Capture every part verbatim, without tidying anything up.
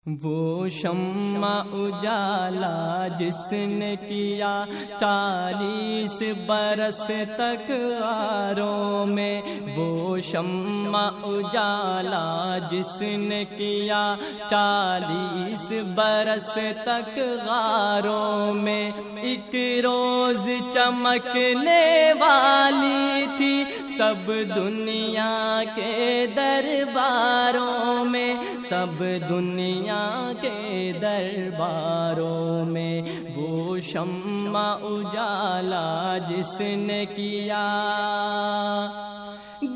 وہ شمع اجالا جس نے کیا چالیس برس تک غاروں میں، وہ شمع اجالا جس نے کیا چالیس برس تک غاروں میں، ایک روز چمکنے والی تھی سب دنیا کے درباروں میں، سب دنیا کے درباروں میں، وہ شمع اجالا جس نے کیا۔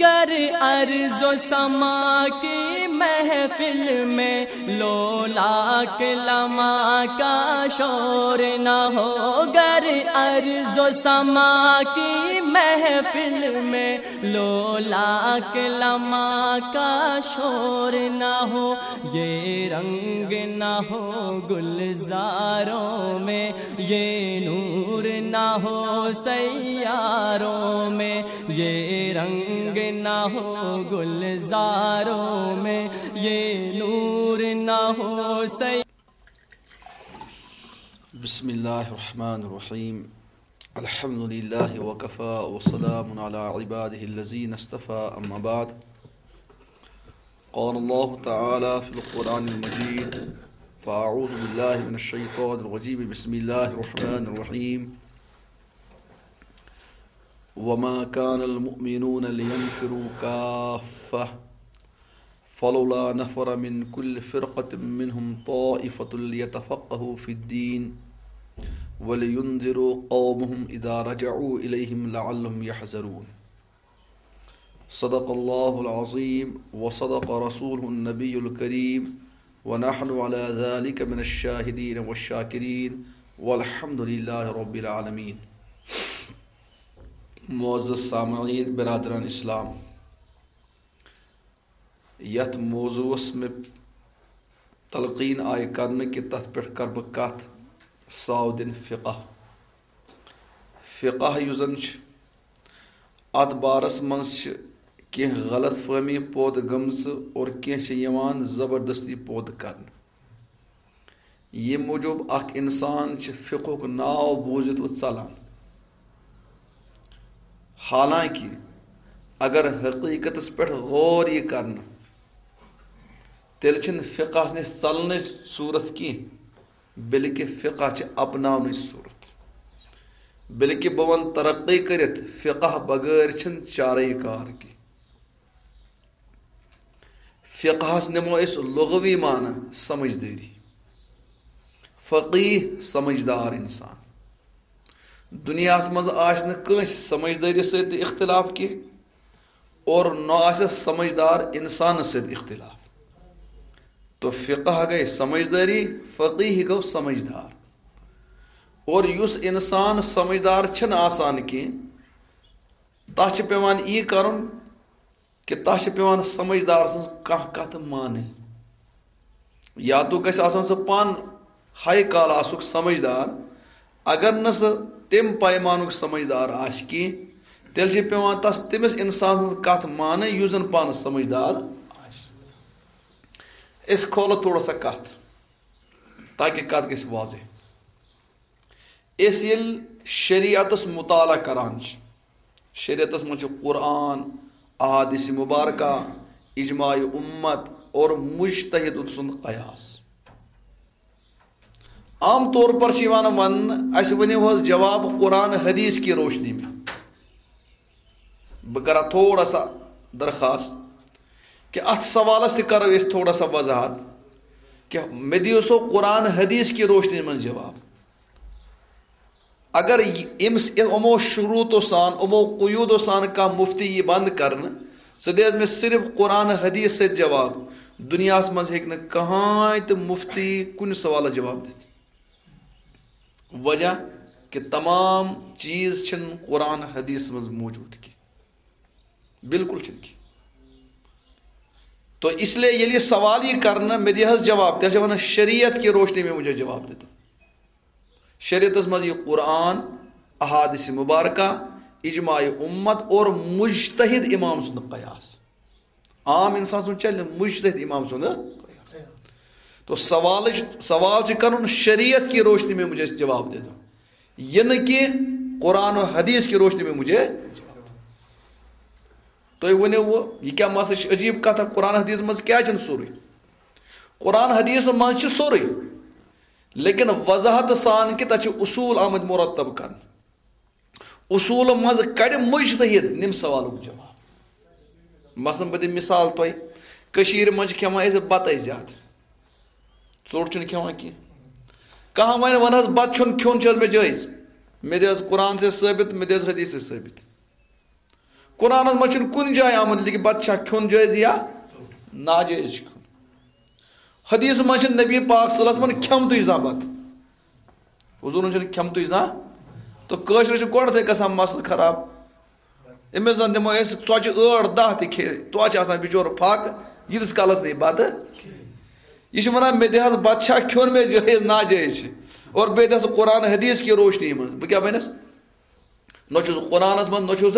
گر ارض و سما کی محفل میں لولاک لما کا شور نہ ہو، گر ارض و سما کی محفل میں لولاک لما کا شور نہ ہو، یہ رنگ نہ ہو گلزاروں میں، یہ نور نہ ہو سیاروں میں، یہ رنگ نہ ہو گلزاروں میں، یہ نور نہ ہو سیاروں۔ بسم الله الرحمن الرحيم. الحمد لله وكفى وسلام على عباده الذين اصطفى، أما بعد. قال الله تعالى في القرآن المجيد: فأعوذ بالله من الشيطان الرجيم، بسم الله الرحمن الرحيم. وما كان المؤمنون لينفروا كافة فلولا نفر من كل فرقة منهم طائفة ليتفقهوا في الدين ولينذروا قومهم إذا رجعوا إليهم لعلهم يحذرون. صدق الله العظيم وصدق رسوله النبي الكريم ونحن على ذلك من الشاهدين والشاكرين والحمد لله رب العالمين. معزز سامعین، برادران اسلام، یتھ موضوعس مےٚ تلقین آیہِ کرنہٕ کہِ تتھ پٮ۪ٹھ کرٕ بہٕ کتھ، ساودن فقہ۔ فقہ یُس زن چھُ، اتھ بارس منٛز چھِ کینٛہہ غلط فہمی پٲدٕ گٔمژٕ اور کینٛہہ چھِ یِوان زبردستی پٲدٕ کرنہٕ۔ ییٚمہِ موٗجوٗب اکھ انسان چھُ فقہُک ناو بوٗزِتھ وۄنۍ ژلان۔ حالانکہ اگر حقیقتس پٮ۪ٹھ غور یی کرنہٕ، تیٚلہِ چھِنہٕ فقہس نِش ژلنٕچ صورت کینٛہہ، بلکہ فقہ چھِ اپناونٕچ صورت۔ بلکہ بہٕ ونہٕ ترقی کٔرِتھ، فقہ بغٲر چھِنہٕ چارے کار کینٛہہ۔ فقہس نِمو أسۍ لغوی معنی سمجھدٲری۔ فقیہ سمجھدار انسان۔ دنیاہس منٛز آسہِ نہٕ کٲنٛسہِ سمجھدٲری سۭتۍ تہِ اختلاف کینٛہہ اور نہ آسٮ۪س سمجھدار انسانس سۭتۍ اختلاف۔ تو فقہ گٔے سمجھدٲری، فقیہ گوٚو سمجھدار۔ اور یُس انسان سمجھدار چھِنہٕ آسان کینٛہہ، تتھ چھِ پٮ۪وان یی کرُن کہِ تتھ چھِ پٮ۪وان سمجھدار سٕنٛز کانٛہہ کتھ مانٕنۍ۔ یا تو گژھِ آسُن سُہ پانہٕ ہاے کلاسُک سمجھدار، اگر نہٕ سُہ تمہِ پیمانُک سمجھدار آسہِ کینٛہہ، تیٚلہِ چھِ پٮ۪وان تس، تٔمِس انسان سٕنٛز کتھ مانٕنۍ یُس زن پانہٕ سمجھدار آسہِ۔ أسۍ کھولو تھوڑا سا کتھ، تاکہِ کتھ گژھِ واضح۔ أسۍ ییٚلہِ شریعتس مطالعہ کران چھِ، شریعتس منٛز چھُ قرآن، احادیث مبارکہ، اجماع امت اور مجتہد سُنٛد قیاس۔ عام طور پر چھِ یِوان وننہٕ، اسہِ ؤنِو حظ جواب قرآن حدیث کی روشنی میں۔ بہٕ کرٕ تھوڑا سا درخواست کہِ اتھ سوالس تہِ کرو أسۍ تھوڑا سا وضاحت کہِ مےٚ دِیِو سو قرآن حدیث کی روشنی منٛز جواب۔ اگر یہِ، أمِس، یِمو شروٗطو سان، یِمو قیوٗدو سان کانٛہہ مُفتی یی بنٛد کرنہٕ، ژٕ دِ حظ مےٚ صرف قرآن حدیث سۭتۍ جواب، دُنیاہس منٛز ہیٚکہِ نہٕ کٕہٕنۍ تہِ مُفتی کُنہِ سوالس جواب دِتھ۔ وجہ کہِ تمام چیٖز چھِنہٕ قرآن حدیث منٛز موجود کینٛہہ، بالکل چھِنہٕ کینٛہہ۔ تو اس لیے ییٚلہِ یہِ سوال یی کرنہٕ، مےٚ دِ حظ جواب، تیٚلہِ چھِ ونان، شریعت کی روشنی میں مجھے جواب دے دو۔ شریعتس منٛز یہِ قرآن، احادیث مبارکہ، اجماع امت اور مجتہد امام سُنٛد قیاس۔ عام انسان سُنٛد چلہِ نہٕ مجتہد امام سُنٛد قیاس۔ تو سوالٕچ سوال چھُ کرُن، شریعت کی روشنی میں مجھے جواب دے دو، یہ نہٕ کینٛہہ، قرآن و حدیث کی روشنی میں مجھے جواب دو۔ تُہۍ ؤنِو وۄنۍ، یہِ کیٛاہ مسلہٕ چھُ؟ عجیٖب کتھا، قرآن حدیث منٛز کیٛازِ چھُنہٕ سورُے؟ قرآن حدیث منٛز چھُ سورُے، لیکن وضاحت سان کہِ تَتہِ چھِ اصوٗل آمٕتۍ مرتب کرنہٕ۔ اصوٗلہٕ منٛز کڑِ مجتہد نِم سوالُک جواب۔ مثلاً بہٕ دِمہٕ مثال تۄہہِ، کٔشیٖرِ منٛز چھِ کھٮ۪وان أسۍ بتَے زیادٕ، ژوٚٹ چھُنہٕ کھٮ۪وان کینٛہہ۔ کانٛہہ وَنہِ، وَن حظ، بتہٕ چھُنہٕ کھیوٚن، چھُ حظ مےٚ جٲیز؟ مےٚ دِ حظ قرآن سۭتۍ ثٲبت، مےٚ دِ حظ حدیث سۭتۍ ثٲبت۔ قرآنس منٛز چھُنہٕ کُنہِ جایہِ آمُت لیکھِتھ بتہٕ چھا کھیوٚن جٲیز یا ناجٲیز چھُ کھیوٚن۔ حدیث منٛز چھُنہٕ نبی پاک صلی اللہ علیہ وسلمن کھیوٚمتُے زانٛہہ بتہٕ۔ حضوٗرن چھُنہٕ کھیوٚمتُے زانٛہہ۔ تہٕ کٲشرِس چھُ گۄڈٕنیتھٕے گژھان مسلہٕ خراب۔ أمِس زن دِمو أسۍ ژۄچہِ ٲٹھ دَہ تہِ کھے، توتہِ چھِ آسان بِچور فاقہٕ، ییٖتِس کالس نہٕ یہِ بتہٕ۔ یہِ چھُ ونان، مےٚ دِ حظ بتہٕ چھا کھیوٚن، مےٚ جٲیز ناجٲیز چھِ۔ اور بیٚیہِ دِ حظ قرآن حدیث کی روشنی منٛز۔ بہٕ کیٛاہ بنس؟ نہ چھُس قرآنس منٛز، نہ چھُس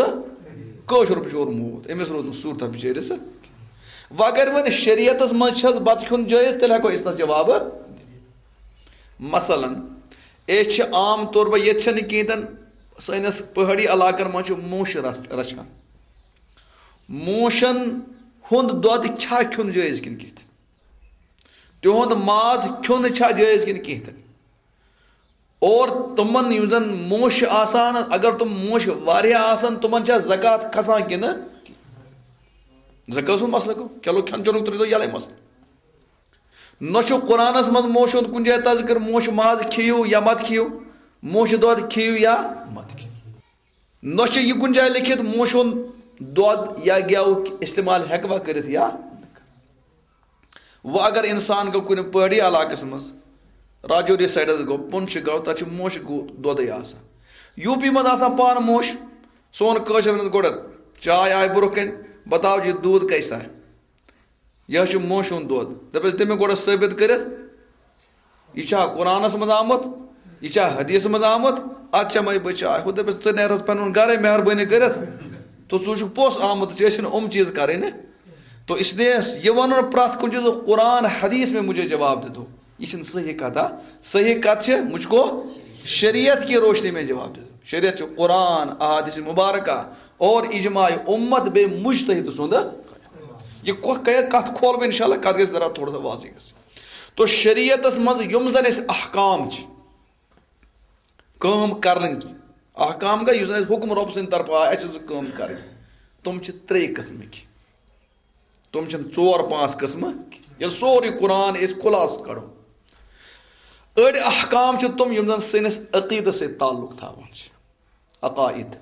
کٲشُر بِچور موٗد، أمِس روٗد نہٕ صوٗرتھا بِچٲرِس۔ وۄنۍ اگر وۄنۍ شریعتس منٛز چھس بتہٕ کھیوٚن جٲیز، تیٚلہِ ہٮ۪کو أسۍ تتھ جواب۔ مثلاً، أسۍ چھِ عام طور پر، ییٚتہِ چھنہٕ کِہیٖنۍ تہِ نہٕ، سٲنِس پہٲڑی علاقن منٛز چھِ موشہِ رچھ-، رچھان۔ موشن ہُنٛد دۄد چھا کھیوٚن جٲیز کِنہٕ کِتھ؟ تِہُنٛد ماز کھیوٚن چھا جٲیز کِنہٕ کِہیٖنۍ تہِ نہٕ؟ اور تِمن یِم زن موش چھِ آسان، اگر تِم موش واریاہ آسن، تِمن چھا زکوٰۃ کھسان کِنہٕ؟ زکوٰۃ ہُنٛد مسلہٕ گوٚو، چلو، کھٮ۪ن چٮ۪نُک ترٛٲوِو یَلَے مسلہٕ۔ نہ چھُ قرآنس منٛز موش ہُنٛد کُنہِ جایہِ تذکر، موش ماز کھیٚیِو یا مت کھیٚیِو، موش دۄد کھیٚیِو یا مت کھیٚیِو۔ نہ چھُ یہِ کُنہِ جایہِ لیٚکھِتھ موش ہُنٛد دۄد یا گٮ۪و استعمال ہٮ۪کوا کٔرِتھ یا نہٕ۔ وۄنۍ اگر انسان گوٚو کُنہِ پہٲڑی علاقس منٛز، راجوری سایڈس گوٚو، پُنچھ گوٚو، تتہِ چھُ موشہِ گو-، دۄدٕے آسان۔ یوٗ پی منٛز آسان پانہٕ موش، سون کٲشِر ونان گۄڈٕ چاے آیہِ برٛونٛہہ کنہِ، بتاؤ جی دودھ کیسا ہے؟ یہِ حظ چھُ موشہِ ہُنٛد دۄد۔ دپٮ۪س، دِ مےٚ گۄڈٕ ثٲبت کٔرِتھ، یہِ چھا قرآنس منٛز آمُت؟ یہِ چھا حدیثس منٛز آمُت؟ اتھ چمے بہٕ چاے۔ ہُہ دپٮ۪س، ژٕ نیر حظ پنُن گرے مہربٲنی کٔرِتھ، تہٕ ژٕ چھُکھ پوٚز آمُت، ژےٚ ٲسِو نہٕ یِم چیٖز کرٕنۍ۔ تو اس لیے یہ ونُن پرٛٮ۪تھ کُنہِ چیٖزُک قرآن حدیث میں مجھے جواب دے دو، یہِ چھِنہٕ صحیح کتھ۔ آ، صحیح کتھ چھِ، مجھ کو شریعت کی روشنی میں جواب دے دو۔ شریعت چھُ قرآن، احادیث مبارکہ اور اجماع امت بیٚیہِ مجتہد سُنٛد۔ یہِ کۄ-، کَ-، کتھ کھولہٕ بہٕ انشاءاللہ، کتھ گژھِ ذرا تھوڑا سا واضح گژھِ۔ تو شریعتس منٛز یِم زن اَسہِ احکام چھِ، کٲم کرنٕکۍ احکام گٔے، یُس زن اَسہِ حُکم رۄب سٕنٛدِ طرفہٕ آے، اَسہِ چھِ زٕ کٲم کرٕنۍ۔ تِم چھِ ترٛے قٕسمٕکۍ۔ تِم چھِنہٕ ژور پانٛژھ قٕسمہٕ۔ ییٚلہِ سورُے قرآن أسۍ خُلاصہٕ کَڑو، أڑۍ احکام چھِ تِم، یِم زَن سٲنِس عقیٖدَس سۭتۍ تعلق تھاوان چھِ، عقائد۔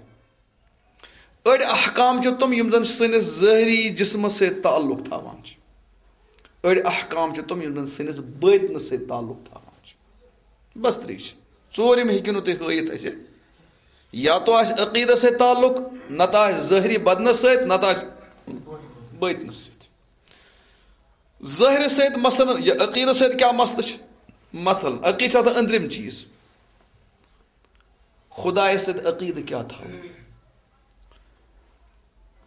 أڑۍ احکام چھِ تِم، یِم زَن سٲنِس ظٲہری جسمَس سۭتۍ تعلق تھاوان چھِ۔ أڑۍ احکام چھِ تِم، یِم زَن سٲنِس بٲطنَس سۭتۍ تعلق تھاوان چھِ۔ بس ترٛے چھِ۔ ژوٗرِم ہیٚکِو نہٕ تُہۍ ہٲیِتھ اَسہِ۔ یا تو آسہِ عقیٖدَس سۭتۍ تعلق، نَتہٕ آسہِ ظٲہری بدنَس سۭتۍ، نَتہٕ آسہِ بٲطنَس سۭتۍ۔ ظٲہرِ سۭتۍ مثلاً، یہِ عقیٖدَس سۭتۍ کیٛاہ مسلہٕ چھِ؟ مثلاً، عقیٖدٕ چھِ آسان أنٛدرِم چیٖز۔ خۄدایَس سۭتۍ عقیٖدٕ کیٛاہ تھاوو؟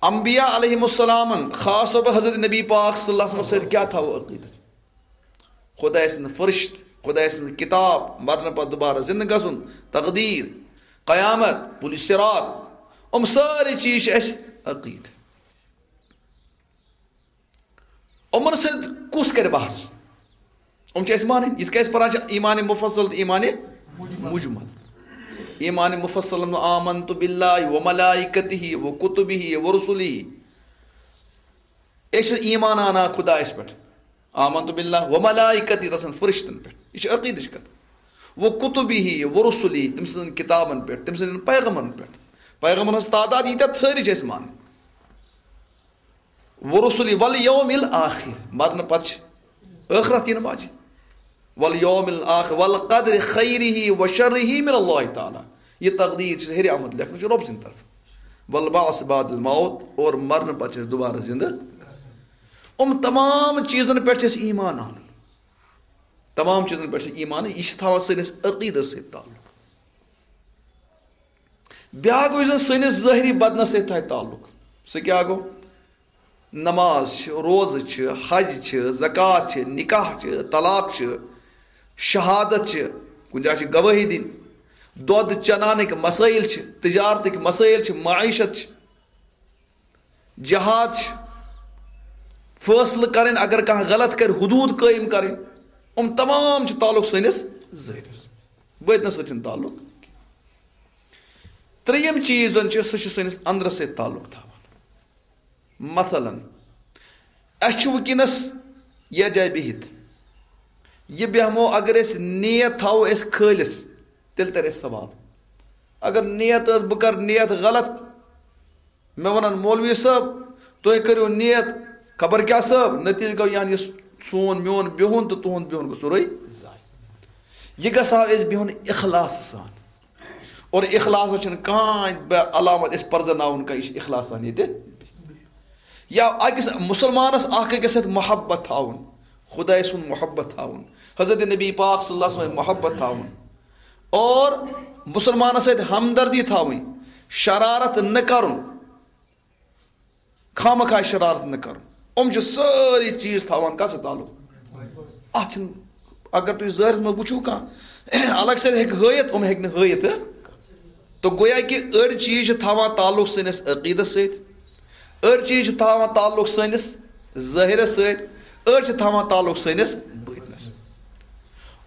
انبیاء علیہم السلامن، خاص طور پر حضرت نبی پاک صلی اللہ علیہ وسلم سۭتۍ کیٛاہ تھاوو عقیٖدٕ؟ خۄداے سٕنٛدۍ فرشت، خۄداے سٕنٛز کِتاب، مرنہٕ پتہٕ دُبارٕ زِندٕ گژھُن، تقدیٖر، قیامت، پُلِ صراط، یِم سٲری چیٖز چھِ اَسہِ عقیٖدٕ۔ یِمن سۭتۍ کُس کرِ بحث؟ یِم چھِ اَسہِ مانٕنۍ، یِتھ کٔنۍ أسۍ پران چھِ ایمان مفصل تہٕ ایمان مجمل۔ ایمان مفصل، آمنت باللہ و ملائکتہ و کتبہ و رسلہ۔ أسۍ چھِ ایمان اَنان خۄدایَس پٮ۪ٹھ، آمنت باللہ و ملائکتہ، تسٕنٛدٮ۪ن فرشتن پٮ۪ٹھ، یہِ چھِ عقیٖدٕچ کتھ۔ و کتبہ و رسلہ، تٔمۍ سٕنٛدٮ۪ن کِتابن پٮ۪ٹھ، تٔمۍ سٕنٛدٮ۪ن پیغمبرن پٮ۪ٹھ۔ پیغمبرن ہٕنٛز تعداد ییٖتیٛاہ سٲری چھِ اَسہِ مانٕنۍ۔ و رسلہ والیوم الآخر، مرنہٕ پتہٕ چھِ ٲخرت یِنہٕ واجہِ۔ والیوم الآخر والقدر خیرہ و شرہ من اللہ تعالیٰ۔ یہِ تقدیٖر چھِ ہیٚرِ آمُت لیکھنہٕ، چھِ رۄب سٕنٛدِ طرفہٕ۔ والبعث بعد الموت، اور مرنہٕ پتہٕ چھِ أسۍ دُبارٕ زِندٕ۔ یِم تمام چیٖزن پٮ۪ٹھ چھِ اَسہِ ایمان اَنُن۔ تمام چیٖزن پٮ۪ٹھ چھِ ایمان، یہِ چھِ تھاوان سٲنِس عقیٖدس سۭتۍ تعلق۔ بیٛاکھ گوٚو، یُس زن سٲنِس ظٲہری بدنس سۭتۍ تھایہِ تعلق، سُہ کیٛاہ گوٚو؟ نماز چھِ، روزٕ چھِ، حج چھِ، زکوٰۃ چھِ، نکاح چھِ، طلاق چھِ، شہادت چھِ، کُنہِ جایہِ چھِ گوٲہی دِنۍ، دۄد چنانٕکۍ مسٲیِل چھِ، تجارتٕکۍ مسٲیِل چھِ، معیشت چھِ، جہاد چھِ، فٲصلہٕ کرٕنۍ، اگر کانٛہہ غلط کرِ، حدوٗد قٲیِم کرٕنۍ۔ یِم تمام چھِ تعلق سٲنِس ظٲہرس، بٲطنس سۭتۍ چھُنہٕ تعلق۔ ترٛیٚیِم چیٖز زَن چھُ، سُہ چھُ سٲنِس أنٛدرَس سۭتۍ تعلق تھاوان۔ مثلاً، اَسہِ چھُ وٕنکیٚنَس یَتھ جایہِ بِہِتھ، یہِ بیٚہمو، اگر أسۍ نیت تھاوو أسۍ خٲلِص، تیٚلہِ تَرِ اَسہِ ثواب۔ اگر نیت ٲس، بہٕ کَرٕ نیت غلط، مےٚ وَنَن، "مولوی صٲب، تُہۍ کٔرِو نیت خبر کیٛاہ صٲب"، نتیٖجہٕ گوٚو یعنی سون میون بِہُن تہٕ تُہُنٛد بِہُن گوٚو سورُے ضایع۔ یہِ گژھِ ہا أسۍ بِہُن اخلاص سان۔ اور اخلاصس چھُنہٕ کانٛہہ بے علامت أسۍ پرزناوُن کانٛہہ، یہِ چھُ اخلاص سان ییٚتہِ۔ یا أکِس مُسلمانس اکھ أکِس سۭتۍ محبت تھاوُن، خداے سُنٛد محبت تھاوُن، حضرت نبی پاک صلی اللہ علیہ وسلم محبت تھاوُن، اور مُسلمانس سۭتۍ ہمدردی تھاوٕنۍ، شرارت نہٕ کرُن۔ خامخواہ شرارت نہٕ کرُن۔ یِم چھِ سٲری چیٖز تھاوان کَس سۭتۍ تعلق؟ اَتھ چھِنہٕ، اگر تُہۍ ظٲہرَس منٛز وٕچھِو کانٛہہ الگ سۭتۍ ہیٚکہِ ہٲیِتھ، یِم ہیٚکہِ نہٕ ہٲیِتھ۔ تہٕ گویا کہِ أڑۍ چیٖز چھِ تھاوان تعلق سٲنِس عقیٖدَس سۭتۍ، أڑۍ چیٖز چھِ تھاوان تعلق سٲنِس ظٲہِرَس سۭتۍ، أڑۍ چھِ تھاوان تعلق سٲنِس بٲطنَس۔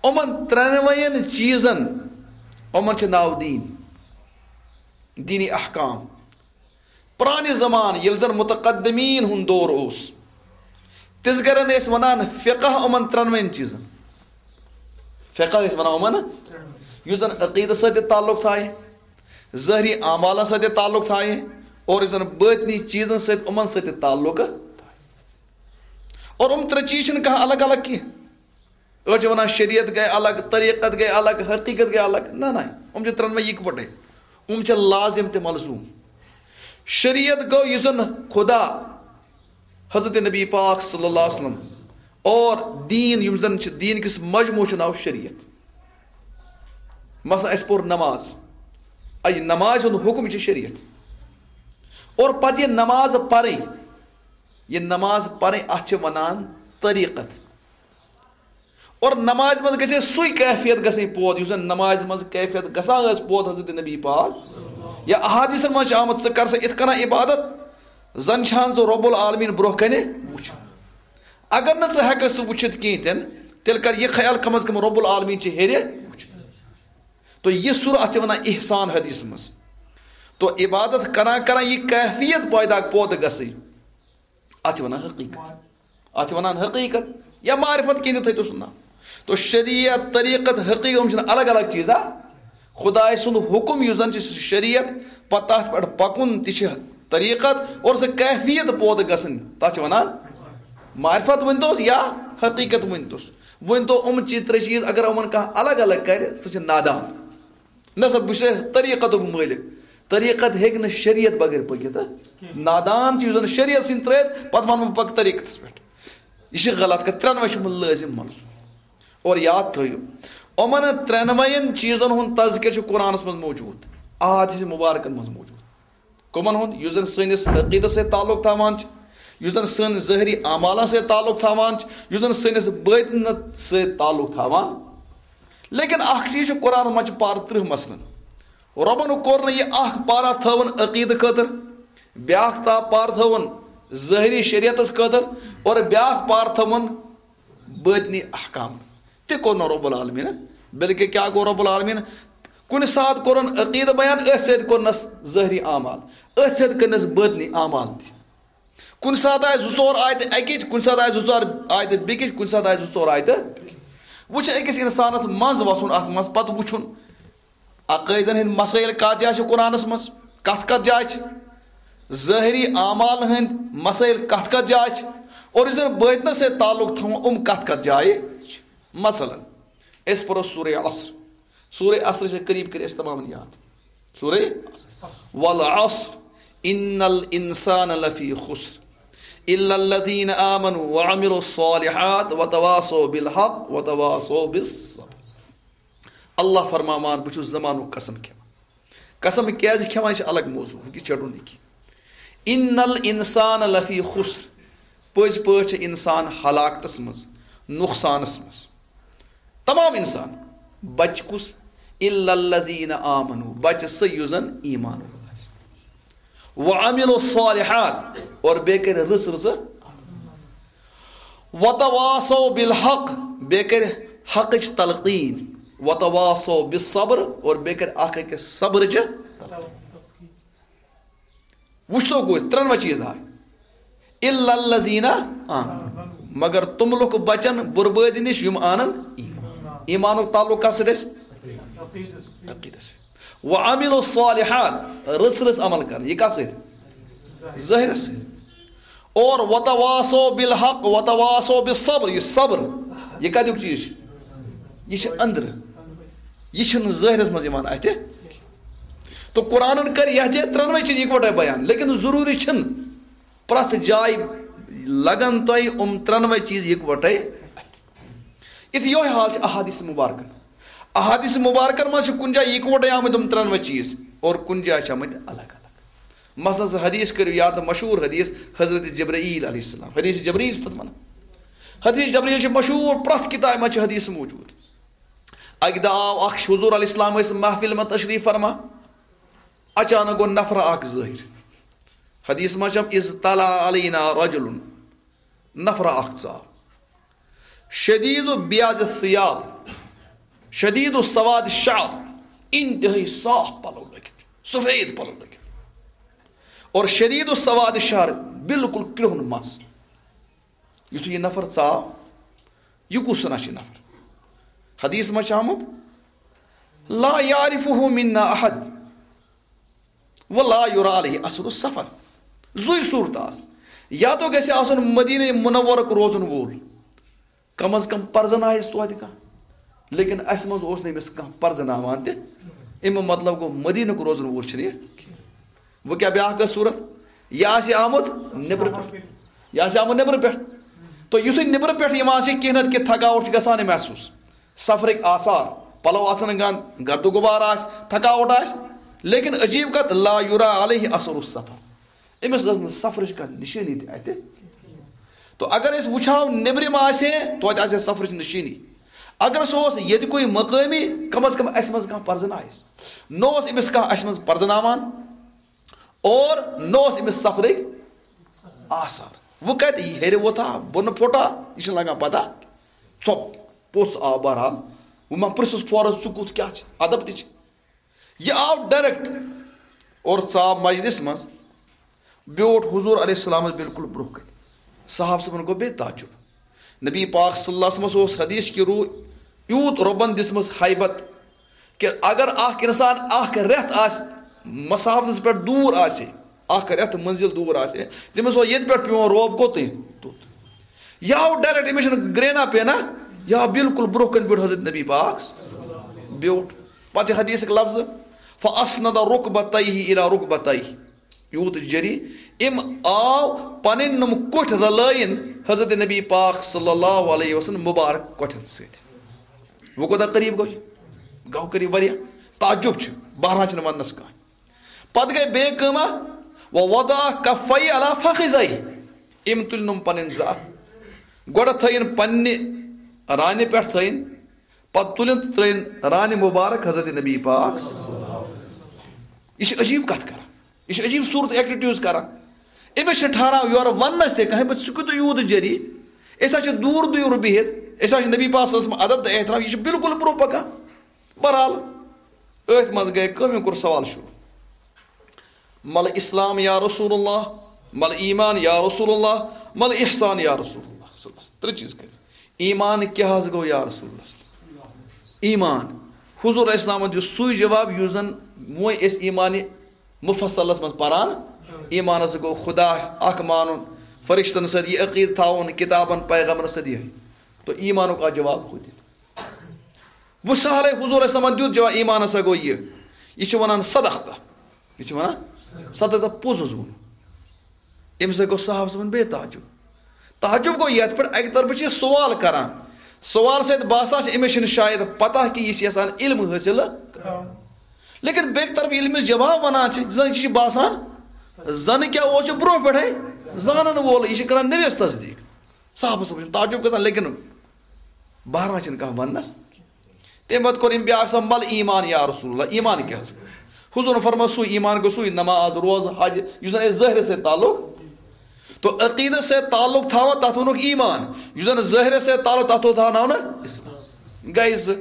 یِمَن ترٛٮ۪نوَیَن چیٖزَن، یِمَن چھِ ناو دیٖن، دیٖنی احکام۔ پرانہِ زمانہٕ ییٚلہِ زن متقدمین ہُنٛد دور اوس، تِژھ گرن ٲسۍ ونان فقہ یِمن ترٛٮ۪نوَن چیٖزن۔ فقہ ٲسۍ ونان یِمن، یُس زن عقیدس سۭتۍ تہِ تعلق تھایہِ، ظٲہری اعمالن سۭتۍ تہِ تعلق تھایہِ، اور یُس زن بٲطنی چیٖزن سۭتۍ، یِمن سۭتۍ تہِ تعلق تھایہِ۔ اور یِم ترٛےٚ چیٖز چھِنہٕ کانٛہہ الگ الگ کینٛہہ۔ أڑۍ چھِ وَنان شریعت گٔے الگ، طریٖقت گٔے الگ، حقیٖقت گٔے الگ۔ نہ، نہ، یِم چھِ ترٛٮ۪نوَے یِکوَٹَے۔ یِم چھِ لازم تہٕ ملزوم۔ شریعت گوٚو یُس زَن خدا، حضرت نبی پاک صلی اللہ علیہ وسلم اور دیٖن، یِم زَن چھِ دیٖن کِس مجموٗعس چھُ ناو شریعت۔ مثلاً اَسہِ پوٚر نماز، اَ، یہِ نمازِ ہُنٛد حُکم چھِ شریعت۔ اور پَتہٕ یہِ نماز پَرٕنۍ، یہِ نماز پَرٕنۍ، اَتھ چھِ وَنان طریٖقت۔ اور نمازِ منٛز گژھِ سُے کیفیت گژھٕنۍ پود، یُس زن نمازِ منٛز کیفیت گژھان ٲس پود حضرت نبی پاک۔ یا احادیثن منٛز چھِ آمُت، "ژٕ کر سا اِتھ کٔنۍ عبادت، زن چھان ژٕ رب العالمین برونٛہہ کنہِ وٕچھُن۔" اگر نہٕ ژٕ ہٮ۪ککھ سُہ وٕچھِتھ کِہیٖنۍ تہِ نہٕ، تیٚلہِ کر یہِ خیال، کم از کم رب العالمین چھِ ہیٚرِ وٕچھُن۔ تو یہِ سُر، اتھ چھِ ونان احسان حدیث منٛز۔ تو عبادت کران کران یہِ کیفیت پٲدٕ، پود گژھٕنۍ۔ اتھ چھِ ونان حقیٖقت۔ اتھ چھِ ونان حقیٖقت یا معرفت، کینٛہہ تہِ تھٲیتو سُہ ناو۔ تو شریعت، طریٖقت، حقیٖقت، یِم چھِنہٕ الگ الگ چیٖز، ہا؟ خداے سُنٛد حُکم یُس زن چھُ، سُہ چھُ شریعت، پتہٕ تتھ پٮ۪ٹھ پکُن تہِ چھِ طریٖقت، اور سۄ کیفیت پٲدٕ گژھٕنۍ، تتھ چھِ ونان معرفت ؤنۍتوس یا حقیٖقت ؤنۍتوس۔ ؤنۍتو یِم چیٖز، ترٛےٚ چیٖز، اگر یِمن کانٛہہ الگ الگ کرِ، سُہ چھُ نادان۔ نہ سا، بہٕ چھُس طریٖقتُک مٲلِک۔ طریٖقت ہیٚکہِ نہٕ شریعت بغٲر پٔکِتھ۔ نادان چھُ یُس زَن شریعت سٕنٛدۍ ترٛٲوِتھ، پَتہٕ وَنہٕ بہٕ پَکہٕ طریٖقتَس پٮ۪ٹھ۔ یہِ چھِ غلط کَتھ۔ ترٛٮ۪نوَے چھِ یِمَن لٲزِم منظوٗر۔ اور یاد تھٲیِو، یِمَن ترٛٮ۪نوَیَن چیٖزَن ہُنٛد تذکر چھُ قرآنَس منٛز موجوٗد، احادیث مبارکَن منٛز موجوٗد۔ کٕمَن ہُنٛد؟ یُس زَن سٲنِس عقیٖدَس سۭتۍ تعلق تھاوان چھُ، یُس زَن سٲنِس ظٲہری اعمالَن سۭتۍ تعلق تھاوان چھُ، یُس زَن سٲنِس بٲطنَس سۭتۍ تعلق تھاوان۔ لیکن اکھ چیٖز چھُ، قرآنَس منٛز چھِ پارٕ ترٕٛہ مثلاً۔ رۄبَن کوٚر نہٕ یہِ اکھ پارا تھٲوٕن عقیٖدٕ خٲطرٕ، بیٛاکھ تا-، پارٕ تھٲوٕن ظٲہری شریعتَس خٲطرٕ، اور بیٛاکھ پارٕ تھٲوٕن بٲطنی احکام۔ تہِ کوٚر نہٕ رب العالمین۔ بلکہِ کیٛاہ گوٚو رب العالمین؟ کُنہِ ساتہٕ کوٚرُن عقیٖدٕ بیان، أتھۍ سۭتۍ کوٚرنَس ظٲہری اعمال، أتھۍ سۭتۍ کٔرنَس بٲطنی اعمال تہِ۔ کُنہِ ساتہٕ آسہِ زٕ ژور آیتہٕ اَکِچ، کُنہِ ساتہٕ آسہِ زٕ ژور آیتہٕ بیٚکِچ، کُنہِ ساتہٕ آسہِ زٕ ژور آیتہٕ۔ وۄنۍ چھُ أکِس اِنسانَس منٛز وَسُن اَتھ منٛز، پَتہٕ وُچھُن عقٲیدَن ہٕنٛدۍ مسٲیِل کَتھ جایہِ چھِ قرآنَس منٛز، کَتھ کَتھ جایہِ چھِ، ظٲہری اعمالَن ہٕنٛدۍ مسٲیِل کَتھ کَتھ جایہِ چھِ، اور یُس زَن بٲطنَس سۭتۍ تعلق تھاوُن، یِم کَتھ کَتھ جایہِ چھِ۔ مثلاً، أسۍ پَرو سورہ عصر۔ سورہ عصر چھِ قریب قریب اَسہِ تمامَن یاد۔ سورہ والعصر، ان الانسان لفی خسر، الا الذین آمنوا وعملوا الصالحات وتواصوا بالحق وتواصوا بالصبر۔ اللہ فرماوان، بہٕ چھُس زمانُک قسم کھٮ۪وان۔ قسم کیازِ کھٮ۪وان، یہِ چھُ الگ موضوع، یہِ چھُ رٹُن یہِ کینٛہہ۔ ان الانسان لفی خسر، پٔزۍ پٲٹھۍ چھِ انسان ہلاکتس منٛز، نقصانس منٛز۔ تمام انسان۔ بچہِ کُس؟ الا الذین آمنو، بچہِ سُہ یُس زن ایمان وول آسہِ۔ وعملوا الصالحات، اور بیٚیہِ کٔرۍ رٕژ رٕژٕ۔ وتواصوا بالحق، بیٚیہِ کٔرۍ حقٕچ تلقین۔ وتواصوا بالصبر، اور بیٚیہِ کٔرۍ اکھ أکِس صبرٕچہِ۔ وٕچھتو گوٚو، ترٛٮ۪نوَے چیٖز آے۔ الا الذین آمنو، مگر تِم لُکھ بچن بربٲدی نِش یِم انن ایمان۔ ایمانُک تعلق کس سۭتۍ اَسہِ؟ عقیدس سۭتۍ۔ وعملوا الصالحات، رٕژ رٕژ عمل کرن۔ یہِ کس سۭتۍ؟ ظٲہرس سۭتۍ۔ اور وتواصوا بالحق وتواصوا بالصبر، یہِ صبر، یہِ کتیُک چیٖز چھُ؟ یہِ چھُ أنٛدرٕ، یہِ چھُنہٕ ظٲہرس منٛز یِوان اتھِ۔ تو قرآنن کٔر یتھ جایہِ ترٛٮ۪نوَے چیٖز اکوٹے بیان، لیکن ضروٗری چھُنہٕ پرٛٮ۪تھ جایہِ لگن تۄہہِ یِم ترٛٮ۪نوَے چیٖز اکوٹے اتھِ۔ یِتھ یِہوٚے حال چھُ احادیث مبارکن۔ احادیث مبارکن منٛز چھِ کُنہِ جایہِ اکوٹے آمٕتۍ یِم ترٛٮ۪نوَے چیٖز اور کُنہِ جایہِ چھِ آمٕتۍ الگ الگ۔ مثلاً، سُہ حدیث کٔرِو یاد، مشہوٗر حدیث حضرت جبرائیل علیہ السلام، حدیث جبرائیل چھِ تَتھ وَنان۔ حدیث جبرائیل چھِ مشہوٗر، پرٛٮ۪تھ کِتابہِ منٛز چھِ حدیث موجوٗد۔ اَکہِ دۄہ آو اکھ، حضور علیہ السلام ٲسۍ محفل منٛز تشریٖف فرما، اچانک گوٚو نفر اکھ ظٲہِر۔ حدیث منٛز چھِ، اذ طلع علینا رجل، نفر اکھ ژاو، شدید بیاض الثیاب، شدید سواد الشعر، انتہٲئی صاف پلو لٲگِتھ، سفید پلو لٲگِتھ، اور شدید سواد الشعر، بالکل کرٛہُن مَس۔ یُتھُے یہِ نفر ژاو، یہِ کُس سنا چھُ نفر؟ حدیث منٛز چھُ آمُت، لا یعرفہ منا احد ولا یرا علیہ اثر السفر۔ زُے صورت آس۔ یا تو گژھِ آسُن مدینہ منورک روزن وول، کم از کم پرزنایس توتہِ کانٛہہ، لیکن اسہِ منٛز اوس نہٕ أمِس کانٛہہ پرزناوان تہِ۔ امیُک مطلب گوٚو، مدینک روزن وول چھُنہٕ یہِ۔ وۄنۍ کیٛاہ بیٛاکھ ٲس صورت؟ یہِ آسہِ آمُت نیٚبرٕ پٮ۪ٹھ، یہِ آسہِ آمُت نیٚبرٕ پٮ۪ٹھ۔ تہٕ یُتھُے نیٚبرٕ پٮ۪ٹھ یِوان چھِ، کینٛہہ نتہٕ کینٛہہ تھکاوٹ چھِ گژھان محسوٗس، سفرٕکۍ آثار، پلو آسن گنٛد، گرد و غبار آسہِ، تھکاوٹ آسہِ، لیکن عجیب کتھ، لا یرا علیہ اثر السفر، أمِس ٲس نہٕ سفرٕچ کانٛہہ نشٲنی تہِ اتہِ۔ تو اگر أسۍ وٕچھو، نیٚبرِم آسہِ ہے، توتہِ آسہِ ہے سفرٕچ نشٲنی۔ اگر سُہ اوس ییٚتہِ کُے مقٲمی، کم از کم اسہِ منٛز کانٛہہ پرزنایس۔ نہ اوس أمِس کانٛہہ اسہِ منٛز پرزناوان، اور نہ اوس أمِس سفرٕکۍ آثار۔ وۄنۍ کتہِ یہِ ہیٚرِ ووتھا، بۄنہٕ پھوٚٹا، یہِ چھُنہٕ لگان پتہ۔ ژۄپ، پوٚژھ آو بہرحال۔ وۄنۍ ما پرٛژھُس فورس، ژٕ کُس کیٛاہ چھِ؟ ادب تہِ چھِ۔ یہِ آو ڈائریکٹ اور ژاو مجلس منٛز، بیوٗٹھ حضور علیہ السلامس بالکل برونٛہہ کنہِ۔ صحابہٕ صٲبن گوٚو بیٚیہِ تعجب۔ نبی پاک صلی اللہ علیہ وسلمس اوس حدیث کہِ روٗ یوٗت رۄبن دِژمٕژ ہیبت کہِ اگر اکھ انسان اکھ رٮ۪تھ آسہِ مسافتس پٮ۪ٹھ دوٗر آسہِ، اکھ رٮ۪تھ منزل دوٗر آسہِ، تٔمِس اوس ییٚتہِ پٮ۪ٹھ پیوان رۄب کوٚتٕے توٚت۔ یہِ آو ڈائریکٹ، أمِس چھُنہٕ گرٛینا پینا، یہِ آو بالکل برونٛہہ کنہِ بیوٗٹھ حضرت نبی پاک بیوٗٹھ۔ پتہٕ چھِ حدیثٕکۍ لفظ، فاسند رکبتیہ الی رکبتیہ، یوٗت جری، أمۍ آو پنٕنۍ نُم کوٚٹھۍ رلٲیِن حضرت نبی پاک صلی اللہ علیہ وسلم مبارک کوٚٹھٮ۪ن سۭتۍ۔ وۄنۍ کوٗتاہ قریب گوٚو یہِ؟ گوٚو قریب واریاہ۔ تعجب چھُ، بہرحال چھُنہٕ وننس کانٛہہ۔ پتہٕ گٔے بیٚیہِ کٲمہ، ووضع کفیہ علی فخذیہ، أمۍ تُلۍ نُم پنٕنۍ زٕ اتھ، گۄڈٕ تھٲیِن پننہِ رانہِ پٮ۪ٹھ تھٲیِن، پتہٕ تُلِن تہٕ ترٲیِن رانہِ مبارک حضرت نبی پاک۔ یہِ چھِ عجیب کتھ کران، یہِ چھِ عجیب صورت ایکٹیویٹیز کران۔ أمِس چھِ ٹھہراو یورٕ وننس تہِ کانٛہہ، بہٕ ژٕ کوٗتاہ یوٗت جری، أسۍ حظ چھِ دوٗر دوٗر بِہِتھ، أسۍ حظ چھِ نبی پاک صلی اللہ علیہ وسلم ادب تہٕ احترام، یہِ چھُ بالکل برونٛہہ پکان۔ بہرحال، أتھۍ منٛز گٔے کٲم، أمۍ کوٚر سوال شروع۔ مل اسلام یا رسول اللہ، مل ایمان یا رسول اللہ، مل احسان یا رسول اللہ صلی اللہ علیہ وسلم۔ ترٛےٚ چیٖز کٔرۍ۔ ایمان کیٛاہ حظ گوٚو یا رسول اللہ صلی اللہ علیہ وسلم؟ ایمان۔ حضور علیہ السلام دیُت سُے جواب یُس زن وۄنۍ أسۍ ایمان مفصلس منٛز پران۔ ایمانس گوٚو خدا اکھ مانُن، فرشتن سۭتۍ یہِ عقیٖدٕ تھاوُن، کِتابن پیغمبرن سۭتۍ یہِ۔ تو ایمانُک آو جواب خود۔ وۄنۍ سہلے، حضور علیہ السلامن دیُت جواب، ایمان ہسا گوٚو یہِ۔ یہِ چھِ ونان صدقت۔ یہِ چھِ ونان صدقت، پوٚز حظ ووٚن۔ أمِس ہسا گوٚو صحابہٕ صٲبن بیٚیہِ تعجب۔ تعجب گوٚو یتھ پٮ۪ٹھ اکہِ طرفہٕ چھِ یہِ سوال کران۔ سوال سۭتۍ باسان چھِ أمِس چھِنہٕ شاید پتہ کہِ یہِ چھِ یژھان علم حٲصِل۔ لیکن بیٚکہِ طرفہٕ ییٚلہِ أمِس جواب ونان چھِ، زن یہِ چھِ باسان زَنہٕ کیٛاہ اوس یہِ برونٛہہ پٮ۪ٹھَے زانَن وول، یہِ چھِ کَران نبیَس تصدیٖق۔ صحابہٕ صٲب چھِ تعجب گژھان، لیکن بہران چھِنہٕ کانٛہہ وَننَس۔ تَمہِ پَتہٕ کوٚر أمۍ بیٛاکھ سَوال، "مَل ایٖمان یا رسول اللہ، ایٖمان کیٛاہ حظ؟" حضوٗرَن فرموو، سُے ایٖمان گوٚو سُے نماز، روزٕ، حج، یُس زَن اَسہِ ظٲہرَس سۭتۍ تعلق۔ تو عقیٖدَس سۭتۍ تعلق تھاوان، تَتھ ووٚنُکھ ایٖمان۔ یُس زَن ظٲہرَس سۭتۍ تعلق، تَتھ ووٚن تھاوناونہٕ اِسلام۔ گٔے زٕ۔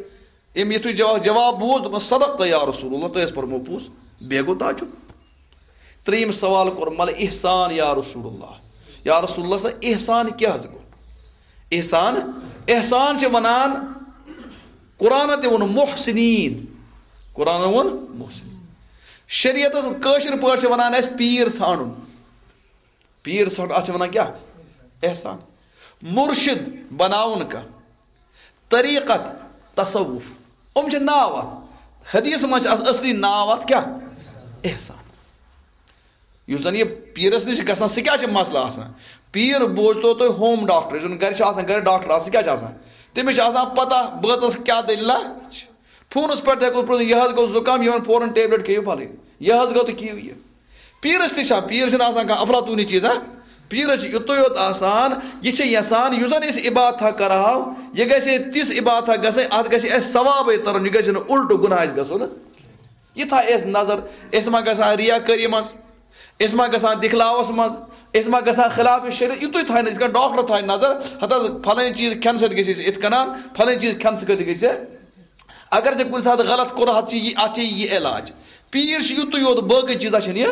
أمۍ یُتھُے جواب، جواب بوٗز، دوٚپُن، "صدقت یا رسول اللہ، تۄہہِ حظ پوٚرمو پوٚز۔" بیٚیہِ گوٚو تعجب۔ ترٛیٚیِم سوال کوٚر، "مَل احسان یا رسول اللہ؟" یا رسول اللہ، سا احسان کیٛاہ حظ گوٚو؟ احسان، احسان چھِ وَنان، قرآنَن تہِ ووٚن محسنین، قرآنَن ووٚن محسنین۔ شریعتَس کٲشِر پٲٹھۍ چھِ وَنان اَسہِ پیٖر ژھانٛڈُن۔ پیٖر ژھانٛڈُن، اَتھ چھِ وَنان کیٛاہ؟ احسان۔ مُرشِد بَناوُن کانٛہہ۔ طریٖقت، تصوف۔ یِم چھِ ناو اَتھ۔ حدیث منٛز چھِ اَتھ اصلی ناو اَتھ کیٛاہ؟ احسان۔ یُس زَن یہِ پیٖرَس نِش چھِ گژھان، سُہ کیٛاہ چھِ مسلہٕ آسان؟ پیٖر بوزتو تُہۍ ہوم ڈاکٹر، یُس زَن گَرِ چھِ آسان، گَرِ ڈاکٹر آسان، سُہ کیٛاہ چھِ آسان؟ تٔمِس چھِ آسان پَتہ بٲژَس کیٛاہ دٔلیٖلہ چھِ۔ فونَس پٮ۪ٹھ تہِ ہٮ۪کو پرٛژھِتھ، "یہِ حظ گوٚو زُکام، یِمَن فوراً ٹیبلِٹ کھیٚیِو پھَلٲنۍ، یہِ حظ گوٚو تہٕ کھیٚیِو یہِ۔" پیٖرَس تہِ چھا؟ پیٖر چھِنہٕ آسان کانٛہہ افلاطوٗنی چیٖزا۔ پیٖرَس چھِ یُتُے یوت آسان، یہِ چھِ یَژھان، یُس زَن أسۍ عبادتھا کَرہاو، یہِ گژھِ ہے تِژھ عبادتھا گژھٕنۍ، اَتھ گژھِ اَسہِ ثوابَے تَرُن، یہِ گژھِ نہٕ اُلٹہٕ گُناہ اَسہِ گژھُن۔ یہِ تھایہِ اَسہِ نظر، أسۍ ما گژھان ریاکٲری منٛز، أسۍ ما گژھان دِکھلاوَس منٛز، أسۍ ما گژھان خلاف شریعت، یُتُے تھایہِ نہٕ، یِتھ کٔنۍ ڈاکٹر تھایہِ نظر، ہَتہٕ حظ پھلٲنۍ چیٖز کھٮ۪نہٕ سۭتۍ گژھِ اَسہِ یِتھ کَنان، پھلٲنۍ چیٖز کھٮ۪نہٕ سۭتۍ گژھِ اَسہِ۔ اگر ژےٚ کُنہِ ساتہٕ غلط کوٚر، اَتھ چھِ یہِ، اَتھ چھِ یہِ علاج۔ پیٖر چھِ یُتُے یوت، باقٕے چیٖزا چھِنہٕ یہِ۔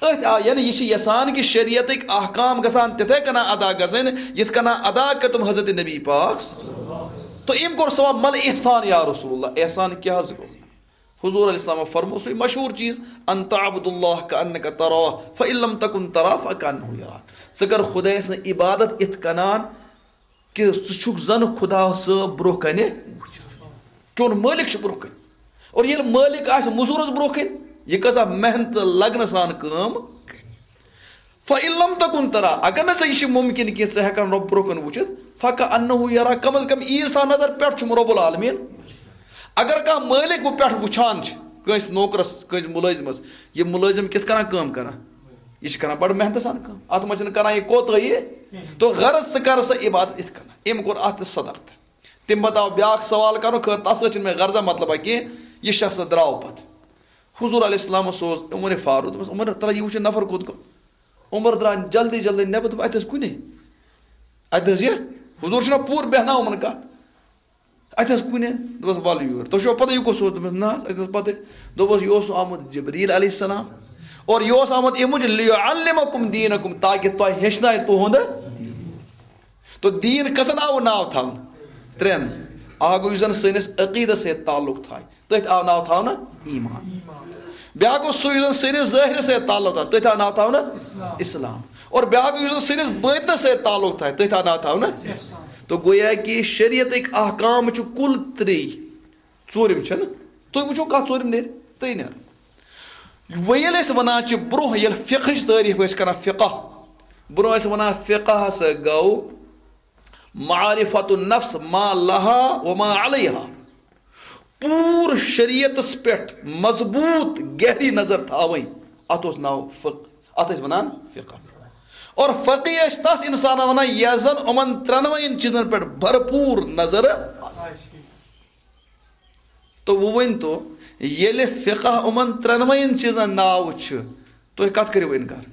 أتھۍ آ، یعنی یہِ چھِ یَژھان کہِ شریعتٕکۍ احکام گژھان تِتھَے کَنۍ ادا گژھٕنۍ، یِتھ کَنۍ ادا کٔرۍ تِم حضرت نبی پاک۔ تو أمۍ کوٚر سوال، "مَل احسان یا رسول اللہ، احسان کیٛاہ حظ گوٚو؟" حضور علیہ السلام فرمو سُے مشہوٗر چیٖز، "ان تعبد اللہ کانک تراہ، فان لم تکن تراہ فکانہ یراک۔" ژٕ کر خدایہِ سٕنٛز عبادت یِتھ کَنان کہِ ژٕ چھُکھ زَن خدا صٲب برونٛہہ کَنہِ وٕچھان۔ چون مٲلِک چھُ برونٛہہ کَنہِ۔ اور ییٚلہِ مٲلِک آسہِ مٔزوٗرَس برونٛہہ کَنہِ، یہِ کۭژاہ محنت تہٕ لگنہٕ سان کٲم کَرِ۔ فَإِن لَمْ تَكُنْ تَرَى، اگر نہٕ ژےٚ یہِ چھُ مُمکِن کینٛہہ، ژٕ ہٮ۪کَکھ رۄب برونٛہہ کَنہِ وٕچھِتھ، فَكَأَنَّهُ يَرَاكَ، کم از کم عیٖز تھاو نظر، پٮ۪ٹھ چھُم رۄب العالمیٖن۔ اگر کانٛہہ مٲلِک وۄنۍ پٮ۪ٹھ وٕچھان چھِ کٲنٛسہِ نوکرَس، کٲنٛسہِ مُلٲزمَس، یہِ مُلٲزِم کِتھ کَنۍ کٲم کَران؟ یہِ چھِ کَران بَڑٕ محنتہٕ سان کٲم، اَتھ منٛز چھِنہٕ کَران یہِ کوتٲہی۔ تو غرض ژٕ کَر سا عبادت یِتھ کَنۍ۔ أمۍ کوٚر اَتھ تہِ صدق تہٕ۔ تَمہِ پَتہٕ آو بیٛاکھ سوال کَرنہٕ خٲطرٕ، تَتھ سۭتۍ چھِنہٕ مےٚ غرضہ مطلبہ کینٛہہ، یہِ شخص درٛاو پَتہٕ۔ حضور علیہ السلام سوز عمر فاروق، دوٚپمَس، "عمر، تَلہ یہِ وٕچھِو نفر کوٚت گوٚو؟" عمر درٛاو جلدی جلدی نٮ۪بر، دوٚپ، "اَتہِ حظ کُنے، اَتہِ حظ یہِ۔" حضور چھُنہ پوٗرٕ بیٚہناوان یِمَن کَتھ۔ "اَتہِ حظ کُنے؟" دوٚپمَس، "وَلہٕ یور، تۄہہِ چھُوا پَتہ یہِ کُس اوس؟" دوٚپمَس، "نہ حظ، اَسہِ نہ حظ پَتہٕ۔" دوٚپمَس، "یہِ اوس آمُت جبریٖل علیہ السلام، اور یہِ اوس آمُت اَمہِ موٗجوٗب، لیعلمکم دینکم، تاکہِ تۄہہِ ہیٚچھنایہِ تُہُنٛد دیٖن۔" تو دیٖن کٔژَن آوُن ناو تھاونہٕ؟ ترٛٮ۪ن۔ اَکھ گوٚو یُس زَن سٲنِس عقیٖدَس سۭتۍ تعلق تھایہِ، تٔتھۍ آو ناو تھاونہٕ ایٖمان۔ بیٛاکھ گوٚو سُہ یُس زَن سٲنِس ظٲہِرَس سۭتۍ تعلق تھایہِ، تٔتھۍ آو ناو تھاونہٕ اِسلام۔ اور بیٛاکھ گوٚو یُس زَن سٲنِس بٲطنَس سۭتۍ تعلق تھایہِ، تٔتھۍ آو ناو تھاونہٕ۔ تو گویا کہِ شریعتٕکۍ احکام چھِ کُل ترٛے۔ ژوٗرِم چھَنہٕ۔ تُہۍ وٕچھِو کَتھ ژوٗرِم نیرِ؟ ترٛے نیرَن۔ وۄنۍ ییٚلہِ أسۍ وَنان چھِ برٛونٛہہ ییٚلہِ فقہٕچ تعریٖف ٲسۍ کَران، فقہ، برٛونٛہہ ٲسۍ وَنان فقہ ہسا گوٚو معرفت النفس ما لہا و ما علیہا۔ پوٗرٕ شریعتس پٮ۪ٹھ مضبوٗط گہری نظر تھاوٕنۍ، اتھ اوس ناو فقہ، اتھ ٲسۍ ونان فقہ۔ اور فقی ٲسۍ تس انسانس ونان یس زن یِمن ترٛٮ۪نوَین چیٖزن پٮ۪ٹھ بھرپوٗر نظر آسہِ۔ تو وۄنۍ ؤنۍ تو، ییٚلہِ فقہ یِمن ترٛٮ۪نوَین چیٖزن ناو چھُ، تُہۍ کتھ کٔرِو انکار؟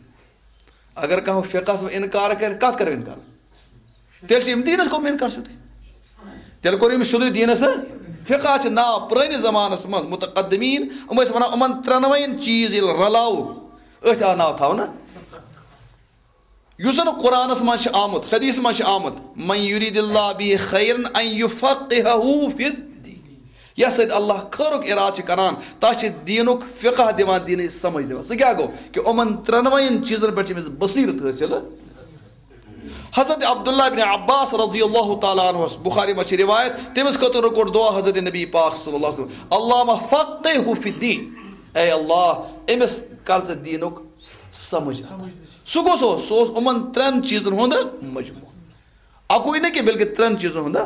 اگر کانٛہہ فقہس منٛز انکار کرِ، کتھ کرو انکار؟ تیٚلہِ چھُ أمۍ دیٖنس کوٚرمُت انکار سیوٚدُے۔ تیٚلہِ کوٚر أمِس سیوٚدُے دیٖنس۔ فقہ چھُ ناو پرٲنِس زمانس منٛز متقدمین، یِم ٲسۍ ونان، یِمن ترٛٮ۪نوَین چیٖز ییٚلہِ رلاوو، أتھۍ آو ناو تھاونہٕ۔ یُس زن قرآنس منٛز چھُ آمُت، حدیث منٛز چھُ آمُت، "من یرید اللہ بہ خیرا ان یفقہہ فی الدین"۔ یس سۭتۍ اللہ خٲرُک ارادٕ چھُ کران، تس چھُ دیٖنُک فقہ دِوان، دیٖنٕچ سمجھ دِوان۔ سُہ کیٛاہ گوٚو؟ کہ یِمن ترٛٮ۪نوَین چیٖزن پٮ۪ٹھ چھِ أمِس بصیرت حٲصِل۔ حضرت عبداللہ بن عباس رضی اللہ تعالیٰ عنہ، بخاری منٛز چھِ روایت، تٔمِس خٲطرٕ کوٚر دعا حضرت نبی پاک صلی اللہ علیہ وسلم، "اللہم فقہہ فی الدین"، اے اللہ، أمِس کر ژٕ دیٖنُک سمجھ عطا۔ سُہ کُس اوس؟ سُہ اوس یِمن ترٛٮ۪ن چیٖزن ہُنٛد مجموعہٕ۔ اَکُے نہٕ کینٛہہ، بلکہِ ترٛٮ۪ن چیٖزن ہُنٛد۔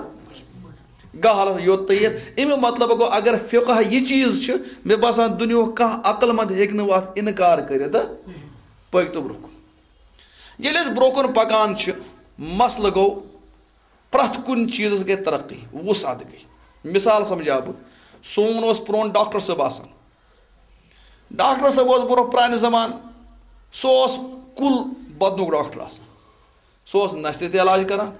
گاہ حالس یوت تہٕ یتھ۔ اَمیُک مطلب گوٚو، اگر فقہ یہِ چیٖز چھُ، مےٚ باسان دُنیاہُک کانٛہہ عقل مند ہیٚکہِ نہٕ اَتھ اِنکار کٔرِتھ۔ پٔکۍ تو برونٛہہ کُن۔ ییٚلہِ أسۍ برونٛہہ کُن پکان چھِ، مسلہٕ گوٚو، پرٛٮ۪تھ کُنہِ چیٖزس گٔے ترقی، وُسعت گٔے۔ مثال سمجھاو بہٕ، سون اوس پرون ڈاکٹر صٲب آسان۔ ڈاکٹر صٲب اوس برونٛہہ پرانہِ زمانہٕ، سُہ اوس کُل بدنُک ڈاکٹر آسان۔ سُہ اوس نستہِ تہِ علاج کران،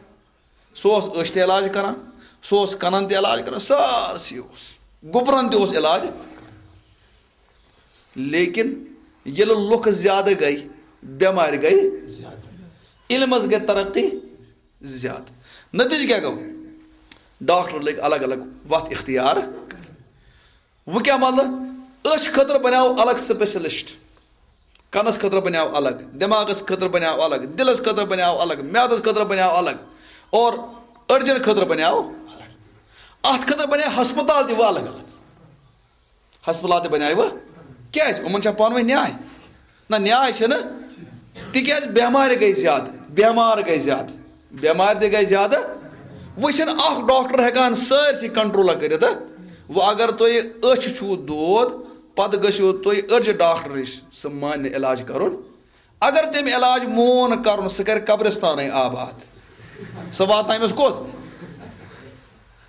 سُہ اوس أچھ تہِ علاج کران، سُہ اوس کنن تہِ علاج کران، سارسٕے اوس، گُپرن تہِ اوس علاج۔ لیکن ییٚلہِ لُکھ زیادٕ گٔے، بٮ۪مارِ گٔے زیادٕ، علمس گٔے ترقی زیادٕ۔ نتیجہٕ کیٛاہ گوٚو؟ ڈاکٹر لٔگۍ الگ الگ وتھ اختیار۔ وۄنۍ کیٛاہ مطلب؟ أچھ خٲطرٕ بنیو الگ specialist، کنس خٲطرٕ بنیو الگ، دٮ۪ماغس خٲطرٕ بنیو الگ، دِلس خٲطرٕ بنیو الگ، میادس خٲطرٕ بنیو الگ، اور أڈجن خٲطرٕ بنیو الگ۔ اتھ خٲطرٕ بنیو ہسپتال تہِ وۄنۍ الگ الگ۔ ہسپتال تہِ بنیو وۄنۍ۔ کیٛازِ؟ یِمن چھا پانہٕ ؤنۍ نیاے؟ نہ، نیاے چھنہٕ۔ تِکیٛازِ بٮ۪مارِ گٔے زیادٕ، بٮ۪مار گٔے زیادٕ، بٮ۪مارِ تہِ گٔے زیادٕ۔ وۄنۍ چھنہٕ اکھ ڈاکٹر ہٮ۪کان سٲرسٕے کنٹرول کٔرِتھ۔ وۄنۍ اگر تۄہہِ أچھ چھُو دود، پتہٕ گٔژھِو تُہۍ أڈجہِ ڈاکٹر نِش، سُہ مانہِ علاج کرُن۔ اگر تٔمۍ علاج مون کرُن، سُہ کرِ قبرستانٕے آباد، سُہ واتناوِ أمِس کوٚت؟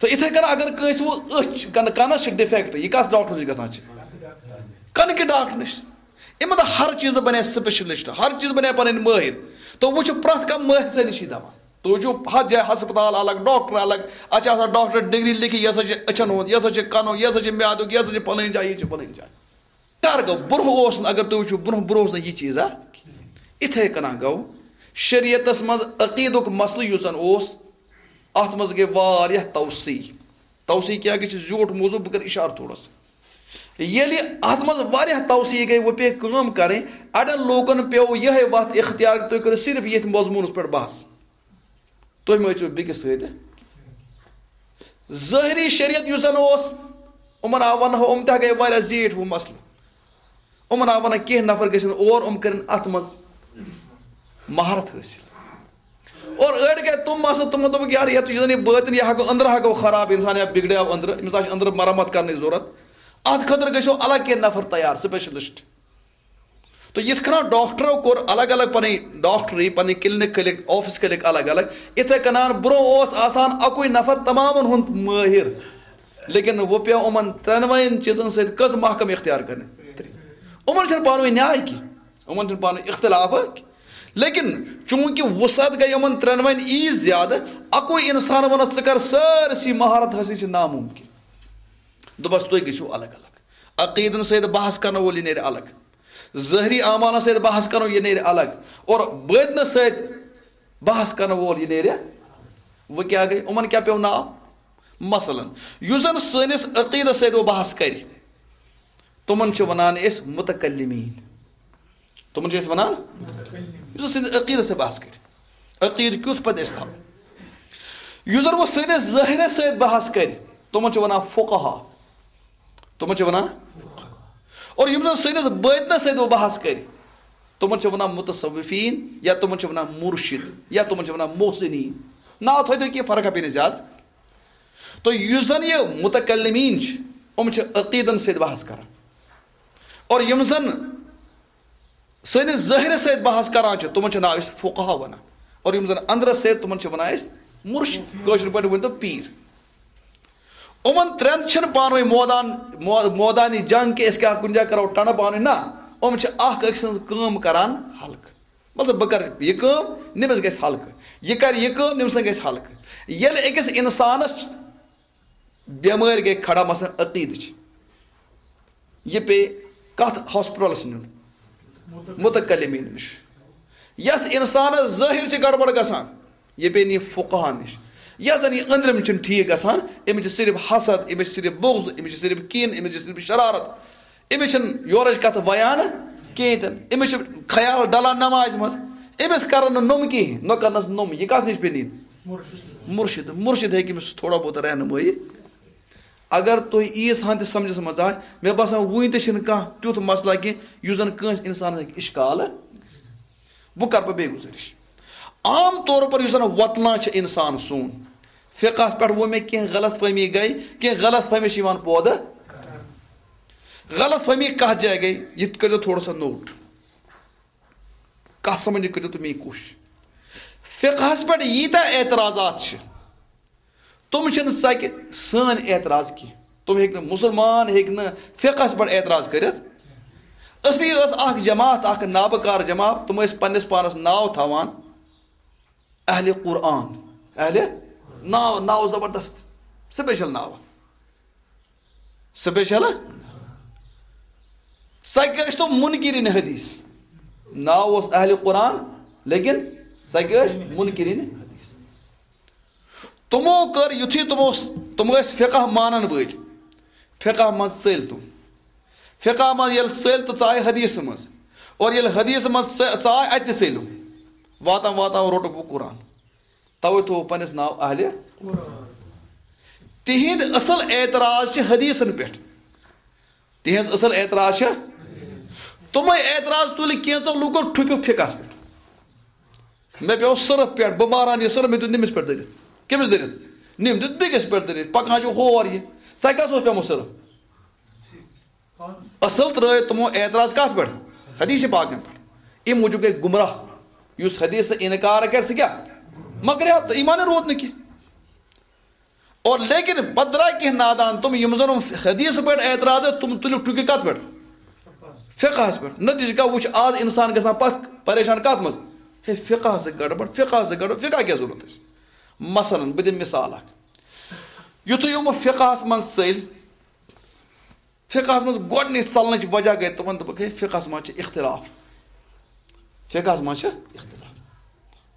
تہٕ یِتھَے کٔنۍ اگر کٲنٛسہِ وۄنۍ أچھ، کن-، کنس چھِ ڈِفیکٹ، یہِ کس ڈاکٹر نِش گژھان چھِ؟ کنہٕ کہِ ڈاکٹر نِش۔ یِمن ہر چیٖزٕ بنے specialist، ہر چیٖز بنے پنٕنۍ مٲہِر۔ تہٕ وۄنۍ چھُ پرٛٮ۪تھ کانٛہہ مٲہِر سٕے نِشی دوا۔ تُہۍ وٕچھِو، ہتھ جایہِ ہسپتال الگ، ڈاکٹر الگ، اتہِ چھِ آسان ڈاکٹر ڈگری لیکھِتھ، یہِ ہسا چھِ أچھن ہُنٛد، یہِ ہسا چھِ کنُک، یہِ ہسا چھِ میادُک، یہِ ہسا چھِ پلٲنۍ جاے، یہِ چھِ پلٲنۍ جاے۔ کر گوٚو؟ برونٛہہ اوس نہٕ، اگر تُہۍ وٕچھِو، برونٛہہ، برونٛہہ اوس نہٕ یہِ چیٖزا۔ اِتھَے کٔنۍ گوٚو شریعتس منٛز عقیٖدُک مسلہٕ یُس زن اوس، اتھ منٛز گٔے واریاہ توسیع۔ توسیع کیٛاہ گٔے؟ چھِ زیوٗٹھ موضوع، بہٕ کرٕ اِشارٕ تھوڑا سا۔ ییٚلہِ اتھ منٛز واریاہ توسیع گٔے، وۄنۍ پیٚیہِ کٲم کرٕنۍ، اڑٮ۪ن لوٗکن پیوٚو یِہوٚے وتھ اختیار، تُہۍ کٔرِو صرف ییٚتھۍ مضموٗنس پٮ۪ٹھ بحث۔ تُہۍ مہ ٲسِو بیٚکِس سۭتۍ۔ ظٲہری شریعت یُس زن اوس، یِمن آو ونہو، یِم تہِ گٔے واریاہ زیٖٹھۍ ہُہ مسلہٕ۔ یِمن آو ونان کینٛہہ نفر گژھن اور، یِم کرن اتھ منٛز مہارت حٲصِل۔ اور أڑۍ گٔے تِم مسلہٕ، تِمو دوٚپُکھ، یار، یتھ یُس زن یہِ بٲطن، یہِ ہا گوٚو أنٛدرٕ ہا گوٚو خراب، انسان یا بگڑیو أنٛدرٕ، أمِس آسہِ أنٛدرٕ مرمت کرنٕچ ضروٗرت۔ اتھ خٲطرٕ گٔژھِو الگ کینٛہہ نفر تیار، specialist۔ تو یِتھ کٔنۍ ڈاکٹرو کوٚر الگ الگ پنٕنۍ ڈاکٹری، پنٕنۍ clinic کھٔلِکھ، office کھٔلِکھ الگ الگ، یِتھے کٔنۍ برونٛہہ اوس آسان اکُے نفر تمامن ہُنٛد مٲہِر، لیکن وۄنۍ پیوٚو یِمن ترٛٮ۪نوَیَن چیٖزن سۭتۍ کٔژ محکمہٕ اختیار کرنہِ؟ ترٛےٚ۔ یِمن چھنہٕ پانہٕ ؤنۍ نیاے کینٛہہ، یِمن چھنہٕ پانہٕ ؤنۍ اختلاف کینٛہہ۔ لیکن چونکہ وسعت گٔے یِمن ترٛٮ۪نوَیَن ییٖژ زیادٕ، اکُے انسان ونس ژٕ کر سٲرسٕے مہارت حٲصِل، چھِ ناممکن۔ دوٚپس تُہۍ گٔژھِو الگ الگ، عقیدن سۭتۍ بحث کرن وول یہِ نیرِ الگ، ظٲہری اعمالن سۭتۍ بحث کرو، یہِ نیرِ الگ، اور بٲطنس سۭتۍ بحث کرن وول یہِ نیرِ۔ وۄنۍ کیٛاہ گٔے؟ یِمن کیٛاہ پیوٚو ناو؟ مثلاً، یُس زن سٲنِس عقیدس سۭتۍ وۄنۍ بحث کرِ، تِمن چھِ ونان أسۍ متکلمین۔ تِمن چھِ أسۍ ونان، یُس زن سٲنِس عقیدس سۭتۍ بحث کرِ، عقیدٕ کیُتھ پتہٕ أسۍ تھاوو۔ یُس زن وۄنۍ سٲنِس ظٲہرس سۭتۍ بحث کرِ، تِمن چھِ ونان فقہا۔ تِمن چھِ ونان۔ اور یِم زن سٲنِس بٲطنس سۭتۍ وۄنۍ بحث کرِ، تِمن چھِ ونان متصوفین، یا تِمن چھِ ونان مرشد، یا تِمن چھِ ونان محسنین۔ ناو تھٲیِو تُہۍ کینٛہہ، فرق پیٚیہِ نہٕ زیادٕ۔ تہٕ یُس زن یہِ متکلمین چھِ، یِم چھِ عقیدن سۭتۍ بحث کران۔ اور یِم زن سٲنِس ظٲہرس سۭتۍ بحث کران چھِ، تِمن چھِ ناو أسۍ فقہا ونان۔ اور یِم زن اندرس سۭتۍ، تِمن چھِ ونان أسۍ مرشد۔ کٲشِر پٲٹھۍ ؤنۍ تو پیٖر۔ یِمن ترٛٮ۪ن چھِنہٕ پانہٕ ؤنۍ مودان، مو-، مودانی جنگ کہِ أسۍ کیٛاہ کُنہِ جایہِ کرو ٹنڈٕ پانہٕ ؤنۍ، نہ۔ یِم چھِ اکھ أکۍ سٕنٛز کٲم کران ہلکہٕ۔ مطلب، بہٕ کرٕ یہِ کٲم، نٔمِس گژھِ ہلکہٕ۔ یہِ کرِ یہِ کٲم، نٔمِس گژھِ ہلکہٕ۔ ییٚلہِ أکِس انسانس بٮ۪مٲرۍ گٔے کھڑا، مثلاً عقیدٕچ، یہِ پیٚیہِ کتھ ہاسپٹلس نیُن؟ متکلمین نِش۔ یس انسانس ظٲہر چھِ گڑبڑ گژھان، یہِ پیٚیہِ نِنۍ فقہا نِش۔ یس زن یہِ أنٛدرِم چھُنہٕ ٹھیٖک گژھان، أمِس چھِ صرف حسد، أمِس چھِ صرف بغض، أمِس چھِ صرف کین، أمِس چھِ صرف شرارت، أمِس چھِنہٕ یورٕچ کتھ ویان کینٛہہ تہِ نہٕ۔ أمِس چھِ خیال ڈلان نمازِ منٛز، أمِس کرن نہٕ نوٚم کِہیٖنۍ، نہ کرنس نوٚم۔ یہِ کس نِش پیٚیہِ نِنۍ؟ مرشد۔ مرشد ہیٚکہِ أمِس تھوڑا بہت رہنمٲیی۔ اگر تُہۍ ییٖژ ہن تہِ سمجھس منٛز آے، مےٚ باسان وُنہِ تہِ چھِنہٕ کانٛہہ تیُتھ مسلہٕ کینٛہہ یُس زن کٲنٛسہِ انسانس ہیٚکہِ اشکال۔ بہٕ کرٕ پتہٕ بیٚیہِ گُزٲرِش۔ عام طور پر یُس زن وۄتلان چھِ انسان سون، فقہس پٮ۪ٹھ ووٚن مےٚ، کینٛہہ غلط فہمی گٔے، کینٛہہ غلط فہمی چھِ یِوان پٲدٕ۔ غلط فہمی کتھ جایہِ گٔے، یہِ تہِ کٔرۍزیو تھوڑا سا نوٹ۔ کتھ سمجھنٕچ کٔرِو تُہۍ میٲنۍ کوٗشش۔ فقہس پٮ۪ٹھ ییٖتیٛاہ اعتراضات چھِ، تِم چھِنہٕ ژکہِ سٲنۍ اعتراض کینٛہہ۔ تِم ہیٚکہِ نہٕ، مسلمان ہیٚکہِ نہٕ فقہس پٮ۪ٹھ اعتراض کٔرِتھ۔ اصلی ٲس اکھ جماعت، اکھ نابکار جماعت، تِم ٲسۍ پننِس پانس ناو تھاوان اہلِ قرآن۔ اہلِ، ناو، ناو زبردست، سپیشل ناو۔ سپیشل؟ سۄ کیٛاہ ٲسۍ تِم منکرین حدیث؟ ناو اوس اہلِ قرآن، لیکن سۄ کیٛاہ ٲسۍ؟ منکرین حدیث۔ تِمو کٔر یُتھُے تِمو س-، تِم ٲسۍ فقہ مانن وٲلۍ، فقہ منٛز ژٔلۍ تِم۔ فقہ منٛز ییٚلہِ ژٔلۍ تہٕ ژایہِ حدیث منٛز، اور ییٚلہِ حدیث منٛز ژ-، ژاے، اتہِ تہِ ژٔلِم۔ واتان واتان روٚٹُکھ وۄنۍ قرآن۔ توے تھوو پننِس ناو اہلِ۔ تِہِنٛد اصل اعتراض چھِ حدیثن پٮ۪ٹھ۔ تِہنٛز اصل اعتراض چھِ، تِمے اعتراض تُلہِ کینٛژو لوٗکو ٹھُکِو فقہس پٮ۪ٹھ۔ مےٚ پیوٚو سرف پٮ۪ٹھ، بہٕ ماران یہِ سرف، مےٚ دیُت نٔمِس پٮ۪ٹھ دٔرِتھ۔ کٔمِس دٔرِتھ؟ نٔمۍ دیُت بیٚکِس پٮ۪ٹھ دٔرِتھ۔ پکان چھُ ہور یہِ۔ ژےٚ کس اوس پیوٚمُت سرف؟ اصل ترٲے تِمو اعتراض کتھ پٮ۪ٹھ؟ حدیث پاکن پٮ۪ٹھ۔ امہِ موٗجوٗب گٔے گمراہ۔ یُس حدیث انکار کرِ، سُہ کیٛاہ؟ مکرِ تہٕ ایمانٕے روٗد نہٕ کینٛہہ۔ اور لیکن پتہٕ درٛاے کینٛہہ نادان تِم، یِم زن حدیث پٮ۪ٹھ اعتراض ٲسۍ، تِم تُلِکھ ٹُکہِ کتھ پٮ۪ٹھ؟ فقہس پٮ۪ٹھ۔ نتیجہ کیٛاہ وُچھ، آز انسان گژھان پتھ پریشان کتھ منٛز؟ ہے، فقہس سۭتۍ گڑبڑ، فقہس سۭتۍ گڑبڑ، فقہ کیٛاہ ضروٗرت اَسہِ؟ مثلاً بہٕ دِمہٕ مثال اکھ۔ یُتھُے یِم فقہس منٛز ژٔلۍ، فقہس منٛز گۄڈٕنِچ ژلنٕچ وجہ گٔے تِمن، دوٚپُکھ، ہے، فقہس منٛز چھِ اختلاف۔ فقہس منٛز چھِ اختلاف۔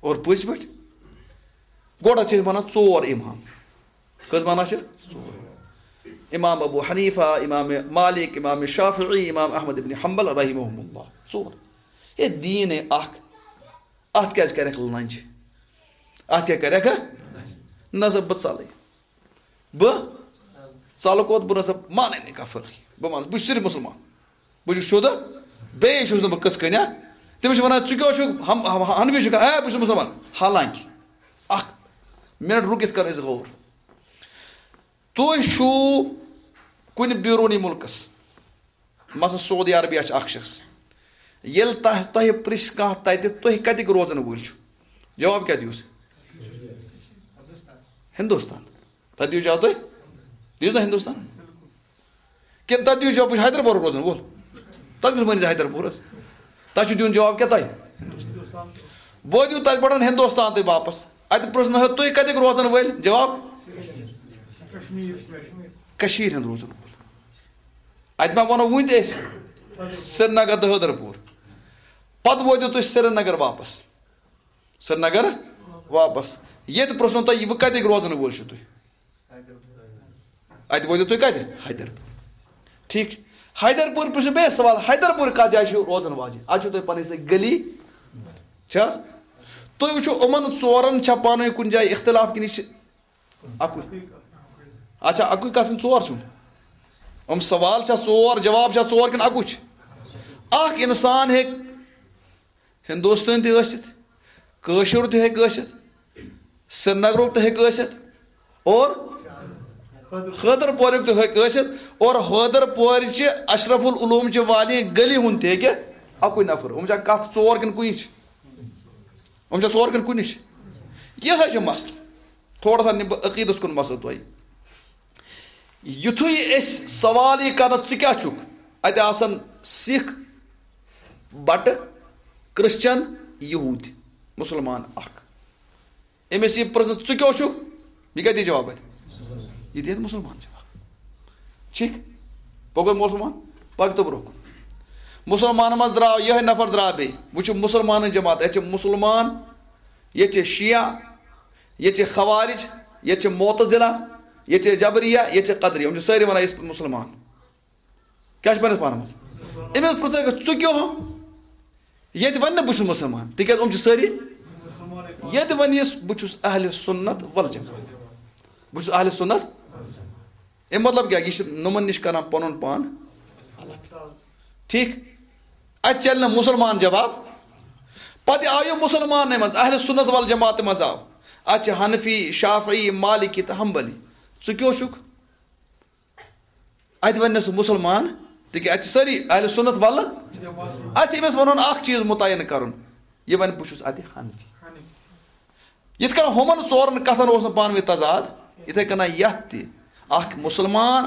اور پٔزۍ پٲٹھۍ؟ گۄڈٕ چھِ أسۍ وَنان ژور امام۔ کٔژ وَنان چھِ؟ ژور۔ امام ابو حنیفہ، امام مالک، امام شافعی، امام احمد ابن حنبل رحمہم اللہ۔ ژور۔ ہے، دیٖن ہے اکھ۔ اتھ کیٛازِ کرکھ لنجہِ؟ اتھ کیٛاہ کرکھ؟ نہ سا، بہٕ ژلے۔ بہٕ ژلہٕ کوٚت؟ بہٕ نہ سا مانَے نہٕ کانٛہہ فقہٕے۔ بہٕ مان، بہٕ چھُس صرف مسلمان۔ بہٕ چھُس شُدٕ، بیٚیہِ چھُس نہٕ بہٕ کٕژھ کٔنۍ۔ تٔمِس چھِ وَنان، "ژٕ کیٛاہ چھُکھ ہم-، ہم-، حنفی چھُکھا؟" "اے، بہٕ چھُس مسلمان۔" حالانکہ اکھ منٹ رُکِتھ کر أسۍ غور۔ تُہۍ چھُو کُنہِ بیروٗنی مُلکس، مثلاً سعودی عربیہ چھِ اکھ شخص، ییٚلہِ تۄہہِ، تۄہہِ پرٛژھِ کانٛہہ تَتہِ، تُہۍ کَتِکۍ روزَن وٲلۍ چھِو؟ جواب کیٛاہ دِیِو سُہ؟ ہِندُستان۔ تَتہِ دِیِو جواب تُہۍ؟ دِیِو نا ہِندُستان؟ کِنہٕ تَتہِ دِیِو جواب، بہٕ چھُس حیدربَرُک روزَن وول؟ تَتہِ کُس مٲنِو حیدربَرَس؟ تۄہہِ چھُ دیُن جواب کیٛاہ تۄہہِ؟ بہٕ دِیِو تَتہِ پٮ۪ٹھ ہِندُستان تُہۍ واپَس۔ اَتہِ پرٛژھنو ہے، تُہۍ کَتِکۍ روزَن وٲلۍ؟ جواب؟ کٔشیٖرِ ہُنٛد روزَن وول۔ اَتہِ ما وَنو وٕنہِ تہِ أسۍ سرینگر تہٕ حیدرپوٗر؟ پَتہٕ وٲتِو تُہۍ سرینگر واپَس۔ سرینگر واپس۔ ییٚتہِ پرٛژھنو تۄہہِ، وۄنۍ کَتِکۍ روزَن وٲلۍ چھِو تُہۍ؟ اَتہِ وٲتِو تُہۍ کَتہِ؟ حیدرپوٗر۔ ٹھیٖک چھُ۔ حیدرپوٗر پرٛژھِو بیٚیہِ سوال، حیدرپوٗر کَتھ جایہِ چھِو روزَن واجِنۍ؟ اَتہِ چھِو تُہۍ پَنٕنۍ سۄ گلی۔ چھِ حظ؟ تُہۍ وٕچھِو، یِمَن ژورَن چھا پانہٕ ؤنۍ کُنہِ جایہِ اختلاف کِنہٕ یہِ چھِ اَکُے؟ اچھا، اَکُے کَتھ کِنہٕ ژور چھِو؟ یِم سوال چھا ژور، جواب چھا ژور کِنہٕ اَکُے چھُ؟ اَکھ اِنسان ہیٚکہِ ہندوستٲنۍ تہِ ٲسِتھ، کٲشُر تہِ ہیٚکہِ ٲسِتھ، سرینگرُک تہِ ہیٚکہِ ٲسِتھ، اور حیدرپوریُک تہِ ہیٚکہِ ٲسِتھ، اور حیدرپورچہِ اشرف العلوم چہِ والٮ۪ن گلی ہُنٛد تہِ ہیٚکہِ اَکُے نفر۔ یِم چھا کتھ ژور کِنہٕ کُنہِ چھِ؟ یِم چھا ژور کِنہٕ کُنہِ چھِ؟ یِہوٚے چھُ مسلہٕ۔ تھوڑا سا نِمہٕ بہٕ عقیٖدس کُن مسلہٕ تۄہہِ۔ یُتھُے أسۍ سوال یہِ کرنہٕ، "ژٕ کیٛاہ چھُکھ؟" اَتہِ آسن سِکھ، بٹہٕ، کرسچن، یہوٗدۍ، مُسلمان اکھ۔ أمِس یہِ پرٛژھنہٕ، "ژٕ کیٛاہ چھُکھ؟" یہِ کیٛاہ دِیہِ جواب اَتہِ؟ یہِ دِیہِ اَتہِ مُسلمان جواب۔ ٹھیٖک؟ پوٚک گوٚو مُسلمان؟ پَکہِ تہٕ برٛونٛہہ کُن۔ مُسلمانَن منٛز درٛاو یِہوٚے نفر، درٛاو بیٚیہِ۔ وٕچھِو، مُسلمانَن جماعت، ییٚتہِ چھِ مُسلمان، ییٚتہِ چھِ شیعہ، ییٚتہِ چھِ خوارج، ییٚتہِ چھِ معتزلہ، ییٚتہِ چھِ جبریہ، ییٚتہِ چھِ قدریہ۔ یِم چھِ سٲری وَنان، "أسۍ مُسلمان۔" کیٛاہ چھِ پَنٕنِس پانَس منٛز؟ أمِس پرٛژھو، "ژٕ کیٛاہ ہو؟" ییٚتہِ وَنہِ نہٕ، "بہٕ چھُس مُسلمان"، تِکیٛازِ یِم چھِ سٲری۔ ییٚتہِ وَنہِ یُس، "بہٕ چھُس اہلِ سُنت والجماعت، بہٕ چھُس اہلِ سُنت"۔ اَمہِ مطلب کیٛاہ؟ یہِ چھِ نۄمَن نِش کران پَنُن پان الگ۔ ٹھیٖک؟ اَتہِ چَلہِ نہٕ مُسلمان جواب۔ پَتہٕ آو یہِ مُسلمانٕے منٛز، اہلِ سُنت والجماعتِ منٛز آو۔ اَتہِ چھِ حنفی، شافعی، مالکی تہٕ حنبلی۔ ژٕ کیٛاہ چھُکھ؟ اَتہِ وَنہِ نہٕ سُہ مُسلمان، تِکیٛازِ اَتہِ چھِ سٲری اہلِ سُنت وَلہٕ۔ اَتہِ چھِ أمِس وَنُن اَکھ چیٖز مُتعین کَرُن۔ یہِ وَنہِ بہٕ چھُس اَتہِ حنفی۔ یِتھ کٔنۍ ہُمَن ژورَن کَتھَن اوس نہٕ پانہٕ ؤنۍ تضاد، یِتھَے کٔنۍ یَتھ تہِ اَکھ مُسلمان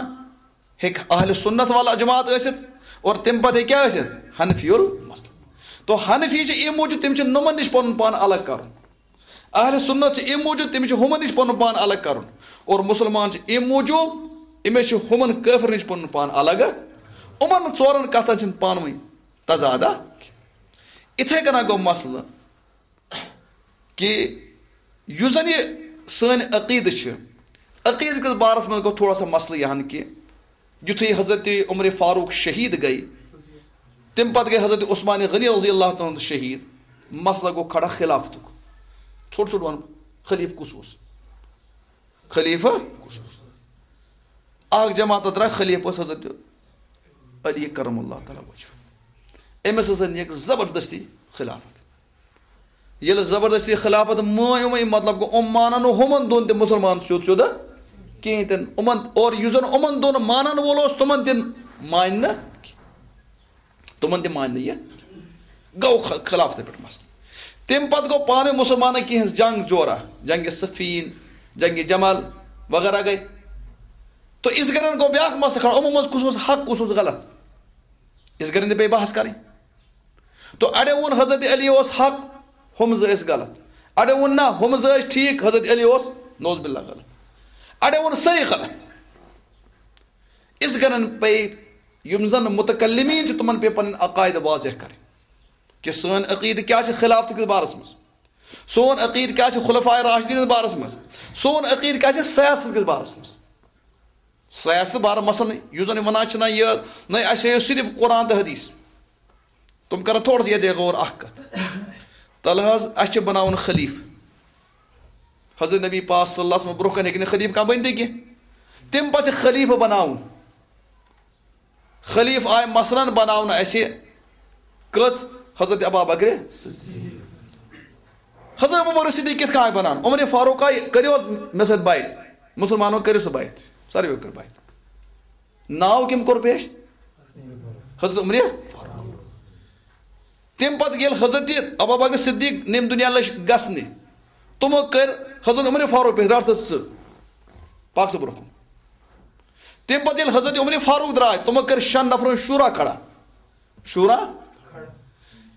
ہیٚکہِ اہل سنت وال جماعت ٲسِتھ اور تَمہِ پَتہٕ ہیٚکہِ کیٛاہ ٲسِتھ؟ حنفی المسلک۔ تو حنفی چھِ اَمہِ موٗجوٗب تِم چھِ نُمَن نِش پَنُن پان الگ کَرُن۔ اہل سنت چھِ اَمہِ موٗجوٗب تِم چھِ ہُمَن نِش پَنُن پان الگ کَرُن اور مُسلمان چھِ اَمہِ موٗجوٗب أمِس چھِ ہُمَن کٲفرَن نِش پَنُن پان الگ۔ یِمَن ژورَن کَتھَن چھِنہٕ پانہٕ ؤنۍ تضادہ۔ یِتھَے کٔنۍ گوٚو مسلہٕ کہِ یُس زَن یہِ سٲنۍ عقیٖدٕ چھِ، عقیٖدٕ کِس بارَس منٛز گوٚو تھوڑا سا مسلہٕ یہِ ہن کہِ یُتھُے حضرت عمر فاروق شہیٖد گٔے، تَمہِ پَتہٕ گٔے حضرت عثمان غنی رضی اللہ تعالیٰ عنہ شہیٖد، مسلہٕ گوٚو کھڑا خلافتُک۔ ژھوٚٹ ژھوٚٹ وَنہٕ بہٕ، خلیٖفہٕ کُس اوس؟ خلیٖفہٕ کُس اوس؟ اَکھ جماعت درٛاے، خلیٖفہٕ اوس حضرت علی کرم اللہ تعالیٰ وجہہ۔ أمِس ہسا نِیَکھ زبردستی خلافت۔ ییٚلہِ زبردستی خلافت مٲنۍ یِمَے، مطلب گوٚو، یِم مانن نہٕ ہُمَن دۄن تہِ مُسلمان سیوٚد سیوٚد کِہیٖنۍ تہِ نہٕ۔ یِمَن، اور یُس زَن یِمَن دۄن مانن وول اوس، تِمَن تہِ مانہِ نہٕ، تِمَن تہِ مانہِ نہٕ یہِ۔ گوٚو خ-، خلافتہٕ پٮ۪ٹھ مسلہٕ۔ تَمہِ پَتہٕ گوٚو پانہٕ ؤنۍ مُسلمانَن کینٛہہ جنگ جورا، جنگ صفین، جنگ جمل وغیرہ گٔے۔ تو یِتھ کٔنۍ گوٚو بیٛاکھ مسلہٕ کھڑا، یِمو منٛز کُس اوس حق، کُس اوس غلط؟ یِتھ کٔنۍ تہِ پیٚیہِ بحث کَرٕنۍ۔ تو اَڑیو ووٚن حضرت علی اوس حق، ہُم زٕ ٲسۍ غلط۔ اَڑیو ووٚن نہ، ہُم زٕ ٲسۍ ٹھیٖک، حضرت علی اوس نعوذ باللہ غلط۔ اَڑیو ووٚن سٲری غلط۔ یِتھ کٔنۍ پیٚیہِ یِم زَن متکلمین چھِ، تِمَن پیٚیہِ پَنٕنۍ عقاید واضح کَرٕنۍ کہِ سٲنۍ عقیدٕ کیٛاہ چھِ خلافتہٕ کِس بارَس منٛز، سون عقیدٕ کیٛاہ چھِ خلفائے راشدین ہٕنٛدِس بارَس منٛز، سون عقیدٕ کیٛاہ چھِ سیاست کِس بارَس منٛز۔ سیاست بارٕ مثلاً یُس زَن وَنان چھِ نہ یہِ، نہ اَسہِ ہٲیِو صرف قرآن تہٕ حدیث۔ تِم کَرَن تھوڑا سا ییٚتہِ غور اَکھ کَتھ۔ تَلہٕ حظ اَسہِ چھِ بَناوُن خلیٖفہٕ۔ حضرت نبی پاک صلی اللہ علیہ وسلم برٛونٛہہ کَنہِ ہیٚکہِ نہٕ خلیٖفہٕ کانٛہہ بٔنتھٕے کینٛہہ۔ تَمہِ پَتہٕ چھِ خلیٖفہٕ بَناوُن۔ خلیٖفہٕ آے مثلاً بَناونہٕ اَسہِ کٔژ؟ حضرت ابا بکر صدیق۔ حضرت ابو بکر صدیق کِتھ کٔنۍ آے بَناونہٕ؟ عمر فاروق آے، کٔرِو حظ مےٚ سۭتۍ بیعت۔ مُسلمانو کٔرِو سا بیعت۔ ساروِیو کٔر بیعت۔ ناو کٔمۍ کوٚر پیش؟ حضرت عمر فاروق۔ تَمہِ پَتہٕ ییٚلہِ حضرت ابا بکر صدیق نٮ۪مہِ دُنیا لٔج گژھنہِ، تِمو کٔر حضرت عمر فاروق پیش، رَٹھ ژٕ ژٕ پاک صٲب برٛونٛہہ کُن۔ تَمہِ پَتہٕ ییٚلہِ حضرت عمر فاروق درٛاے، تِمو کٔر شٮ۪ن نفرَن شورا کھڑا۔ شورا؟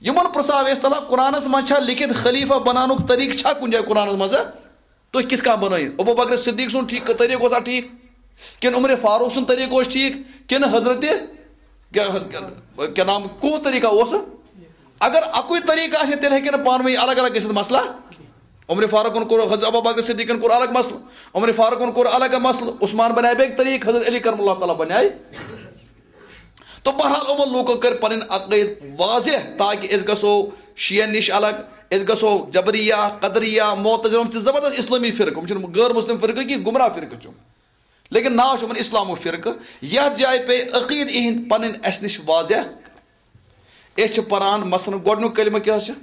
یِمَن پرٛژھاو اَسہِ، تعالیٰ، قرآنَس منٛز چھا لیکھِتھ خلیٖفہ بناونُک طریٖقہٕ چھا کُنہِ جایہِ قرآنَس منٛز؟ تُہۍ کِتھ کٔنۍ بنٲیِو؟ ابو بکر صدیق سُنٛد ٹھیٖک طریٖقہٕ اوسا ٹھیٖک؟ کِنہٕ عمر فاروق سُنٛد طریٖقہٕ اوس ٹھیٖک؟ کِنہٕ حضرت کیٛاہ، کیٛاہ نام، کون طریٖقہ اوس؟ اگر اَکُے طریٖقہٕ آسہِ ہے، تیٚلہِ ہیٚکہِ نہٕ پانہٕ ؤنۍ الگ الگ گٔژھِتھ مسلہٕ۔ عمر فاروقن کوٚر، حضرت ابو بکر صدیقن کوٚر الگ مسلہٕ، عمر فاروقن کوٚر الگ مسلہٕ، عثمان بنایہِ بیٚیہِ طریٖقہٕ، حضرت علی کرم اللہ تعالیٰ بنایہِ۔ تو بہرحال یِمو لوٗکو کٔرۍ پنٕنۍ عقٲیِد واضح تاکہِ أسۍ گژھو شیعن نِش الگ، أسۍ گژھو جبریہ، قدریہ، معتزلہ، یِم چھِ زبردست اسلٲمی فرقہٕ، یِم چھِنہٕ غٲر مسلم فرقہٕ کینٛہہ، گمراہ فرقہٕ چھِ یِم۔ لیکن ناو چھُ یِمن اسلامُک فرقہٕ۔ یتھ جایہِ پیٚیہِ عقیدٕ اِہِنٛدۍ پنٕنۍ اسہِ نِش واضح۔ أسۍ چھِ پران مثلاً گۄڈٕنیُک کلمہٕ کیٛاہ حظ چھُ؟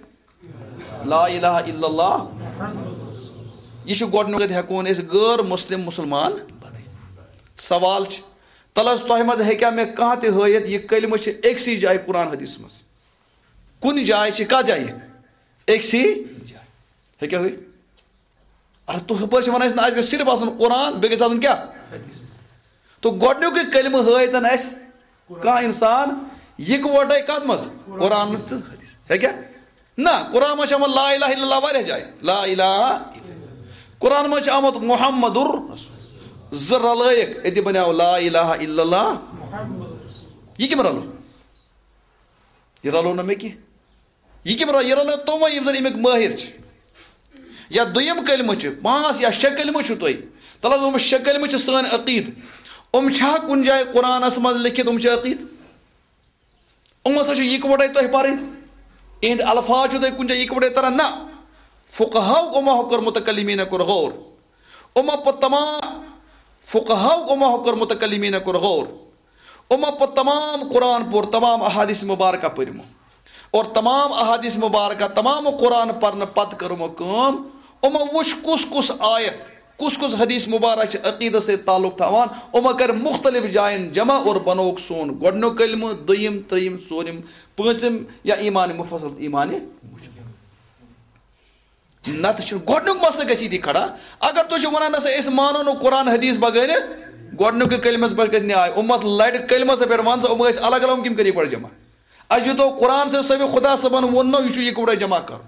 لا الہ الا اللہ۔ یہِ چھُ گۄڈٕنیُک، ہٮ۪کون أسۍ غٲر مسلم مسلمان بنٲوِتھ۔ سوال چھُ، تَلہٕ حظ تۄہہِ منٛز ہیٚکیٛاہ مےٚ کانٛہہ تہِ ہٲیِتھ یہِ کلمہٕ چھِ أکسٕے جایہِ قرآن حدیثس منٛز؟ کُنہِ جایہِ چھِ، کتھ جایہِ؟ أکسٕے جایہِ۔ ہیٚکیٛاہ ہٲیِتھ؟ اَدٕ تُہۍ ہُپٲرۍ چھِ وَنان أسۍ نہ، اَسہِ گژھِ صرف آسُن قرآن، بیٚیہِ گژھِ آسُن کیٛاہ؟ حدیث۔ تہٕ گۄڈٕنیُکُے کلمہٕ ہٲیتَن اَسہِ کانٛہہ اِنسان یِکوَٹَے کَتھ منٛز؟ قرآن تہٕ حدیث۔ ہیٚکیٛاہ؟ نہ، قرآن منٛز چھِ آمُت لا الہ الا اللہ واریاہ جایہِ۔ لا الہ۔ قرآن منٛز چھِ آمُت محمد زٕ رلٲیِکھ، أتی بنیٛاو لا الہ الا اللہ۔ یہِ کٔمۍ رلو؟ یہِ رلو نہٕ مےٚ کینٛہہ۔ یہِ کٔمۍ رلو؟ یہِ رلو تِموٕے یِم زَن اَمِکۍ مٲہِر چھِ۔ یا دوٚیِم کلمہٕ چھُ، پانٛژھ یا شےٚ کلمہٕ چھُو تۄہہِ۔ تَلہٕ حظ، یِم شےٚ کلمہٕ چھِ سٲنۍ عقیٖدٕ۔ یِم چھا کُنہِ جایہِ قرآنَس منٛز لیٚکھِتھ، یِم چھِ عقیٖدٕ؟ یِم ہسا چھِ یِکوَٹَے تۄہہِ پَرٕنۍ۔ یِہِنٛدۍ الفاظ چھُو تۄہہِ کُنہِ جایہِ یِکوَٹَے تَران؟ نہ۔ فقہاو یِمو کوٚر، متکلمیٖنَن کوٚر غور۔ یِمو پوٚر تمام، فقہاو یِمو کوٚر، متکلمیٖنَن کوٚر غور۔ یِمو پوٚر تمام قرآن پوٚر، تمام احادیث مبارکہ پٔرۍ یِمو۔ اور تمام احادیث مبارکہ، تمام قرآن پرنہٕ پتہٕ کٔر یِمو کٲم، یِمو وٕچھ کُس کُس آیت، کُس کُس حدیث مبارک چھِ عقیدس سۭتۍ تعلق تھاوان۔ یِمو کٔرۍ مختلف جاین جمع اور بنووُکھ سون گۄڈٕنیُک کلمہٕ، دوٚیِم، ترٛیٚیِم، ژوٗرِم، پٲنٛژِم یا ایمان مفصل، ایمان مجمل۔ نتہٕ چھُنہٕ گۄڈٕنیُک مسلہٕ گژھِ ییٚتی کھڑا۔ اگر تُہۍ چھِو وَنان، نہ سا، أسۍ مانو نہٕ قرآن حدیث بغٲر، گۄڈٕنیُکُے کلمس پٮ۪ٹھ گژھِ نیاے۔ اُمت لڑِ کلمس پٮ۪ٹھ، وَن سا، یِم ٲسۍ الگ الگ، یِم کِم کٔرِو گۄڈٕ جمع؟ اَسہِ یوٗتاہ قرآن صٲب، صٲبِ خدا صٲبن ووٚن نہ، یہِ چھُ یِکوَٹے جمع کرُن۔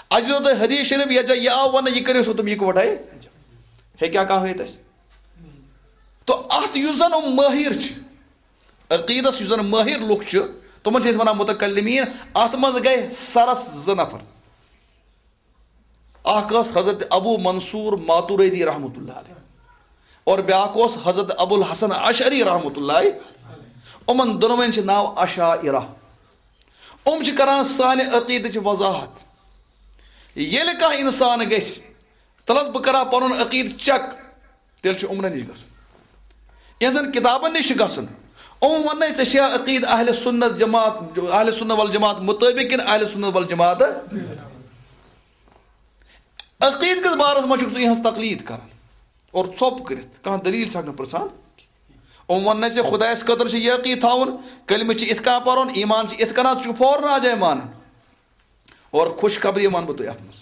اَسہِ یوٗتاہ حدیث شریف یَتھ جایہِ یہِ آو وَننہٕ، یہِ کٔرِو سا تِم یِکوَٹے۔ ہیٚکیٛاہ کانٛہہ ہٲوِتھ اَسہِ؟ تو اَتھ یُس زَن یِم مٲہِر چھِ، عقیٖدس یُس زَن مٲہِر لُکھ چھِ، تِمن چھِ أسۍ وَنان مُتکلِمیٖن۔ اَتھ منٛز گٔے سَرَس زٕ نفر۔ اکھ ٲس حضرت ابو منصور ماتوریدی رحمۃ اللہ علیہ، اور بیٛاکھ اوس حضرت ابو الحسن اشعری رحمۃ اللہ۔ یِمن دۄنوَے چھِ ناو اشاعرہ۔ یِم چھِ کران سانہِ عقیدٕچ وضاحت۔ ییٚلہِ کانٛہہ انسان گژھِ، تلس بہٕ کرٕ ہا پنُن عقیدٕ چیک، تیٚلہِ چھُ یِمنٕے نِش گژھُن، یِہنٛزن کتابن نِش چھُ گژھُن۔ یِم وننَے، ژےٚ چھےٚ عقیدٕ اہل سنت جماعت، اہل سنت والجماعت مطٲبق کِنہٕ اہل سنت والجماعت؟ عقیدٕ کِس بارس منٛز چھُکھ ژٕ یِہنٛز تقلید کران اور ژھۄپ کٔرِتھ کانٛہہ دلیل چھکھ نہٕ پرژھان۔ یِم وننَے، ژےٚ خدایس خٲطرٕ چھُ یہِ عقیدٕ تھاوُن، کلمہٕ چھِ اِتھ کٔنۍ پرُن، ایمان چھُ اِتھ کٔنۍ، ژٕ چھُکھ فوراً اَتھ جایہِ مانان۔ اور خوشخبری وَنہٕ بہٕ تۄہہِ اَتھ منٛز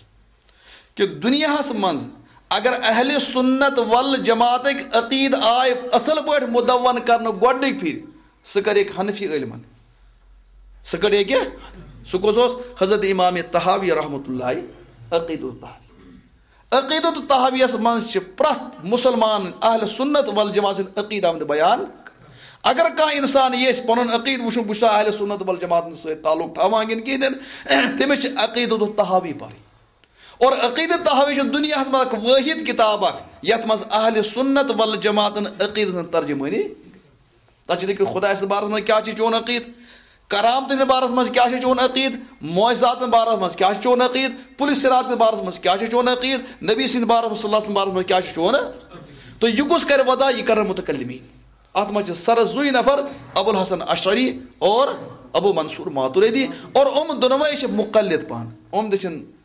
کہِ دُنیاہَس منٛز اگر اہل سنت والجماعتٕکۍ عقیدٕ آے اَصٕل پٲٹھۍ مُدوَّن کرنہٕ گۄڈٕنِکۍ پھِرِ، سُہ کَریکھ حنفی عٲلمَن۔ سُہ کَریکھ کیٛاہ؟ سُہ کُس اوس؟ حضرت امام طحاوی رحمۃ اللہ، عقیدۃ الطحاوی۔ عقیدۃ الطحاویس منٛز چھِ پرٛٮ۪تھ مُسلمان اہل سنت والجماعت سٕنٛدۍ عقیدٕ آمٕتۍ بیان۔ اگر کانٛہہ انسان یژھِ پنُن عقیدٕ وٕچھُن، بہٕ چھُسا اہل سنت والجماعتن سۭتۍ تعلق تھاوان کِنہٕ کِہیٖنۍ، تٔمِس چھِ عقیدۃ الطحاوی پرٕنۍ۔ اور عقیدۃ الطحاوی چھِ دُنیاہس منٛز اکھ وٲحد کتاب اکھ، یتھ منٛز اہل سنت والجماعتن عقیدٕ ہٕنٛز ترجمٲنی۔ تَتھ چھِ لیکھِتھ خدایہِ سٕنٛدِ بارس منٛز کیٛاہ چھِ چون عقیٖد، کرامتہٕ سٕنٛدِ بارس منٛز کیٛاہ چھِ چون عقیٖد، معجزاتن بارس منٛز کیٛاہ چھِ چون عقیٖد، پُلہِ صراط کِس بارس منٛز کیٛاہ چھِ چون عقیٖد، نبی سٕنٛدِ بارس منٛز، صلی اللہ علیہ وسلم بارس منٛز کیٛاہ چھِ چون۔ تہٕ یہِ کُس کرِ ودا؟ یہِ کرن متکلمین۔ اتھ منٛز چھِ سرس زٕے نفر، ابو الحسن اشعری اور ابو منصور ماتوریدی۔ اور یِم دۄنوَے چھِ مقلد پانہٕ، یِم تہِ چھِنہٕ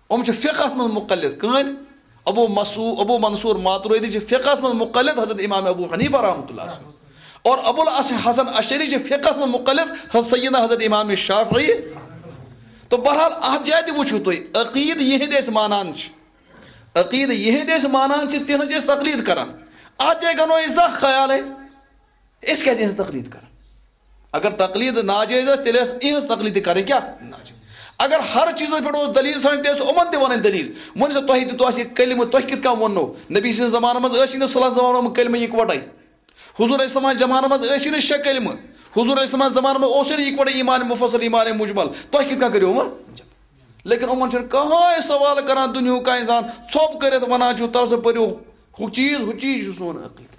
یِم چھِ فقہس منٛز مقلد۔ کٕہٕنۍ؟ ابو مسو-، ابو منصور ماتوریدی چھِ فقہس منٛز مقلد حضرت امام ابو حنیفہ رحمۃ اللہ۔ اور ابو الحسن اشعری چھِ فقہس منٛز مقلد حضرت سیدنا حضرت امام شافعی۔ تو بہرحال اتھ جایہِ تہِ وٕچھِو تُہۍ، عقیدٕ یِہنٛدۍ أسۍ مانان چھِ، عقیدٕ یِہنٛدۍ أسۍ مانان چھِ، تِہنٛز چھِ أسۍ تقلید کران۔ اتھ جایہِ گنو أسۍ زانٛہہ خیالے، أسۍ کیازِ یِہنٛز تقلید کران؟ اگر تقلید ناجٲیز ٲس، تیٚلہِ ٲس یِہنٛز تقلید تہِ کرٕنۍ کیٛاہ؟ ناجٲیز۔ اگر ہر چیٖزس پٮ۪ٹھ اوس دلیٖل ژھانڈٕنۍ، تیٚلہِ ٲس یِمن تہِ ونٕنۍ دلیٖل۔ وۄنۍ ٲسۍ تۄہہِ تہِ، تۄہہِ سۭتۍ کلمہٕ، تۄہہِ کِتھ کٔنۍ ووٚننو؟ نبی سٕنٛدِس زمانس منٛز ٲسۍ نہٕ صلی اللہ علیہ وسلم کلمہٕ یکوٹے۔ حضور اسلام زمانس منٛز ٲسۍ نہٕ شےٚ کلمہٕ۔ حضور اسلام زمانس منٛز اوس نہٕ یکوٹے ایمان مفصل، ایمان مجمل۔ تۄہہِ کِتھ کٔنۍ کٔرِو وۄنۍ؟ لیکن یِمن چھُنہٕ کٕہٕنۍ سوال کران، دُنیہُک کانٛہہ انسان ژھۄپ کٔرِتھ ونان چھُ، تَلہٕ سا پٔرِو ہُہ چیٖز، ہُہ چیٖز چھُ سون عقیدٕ۔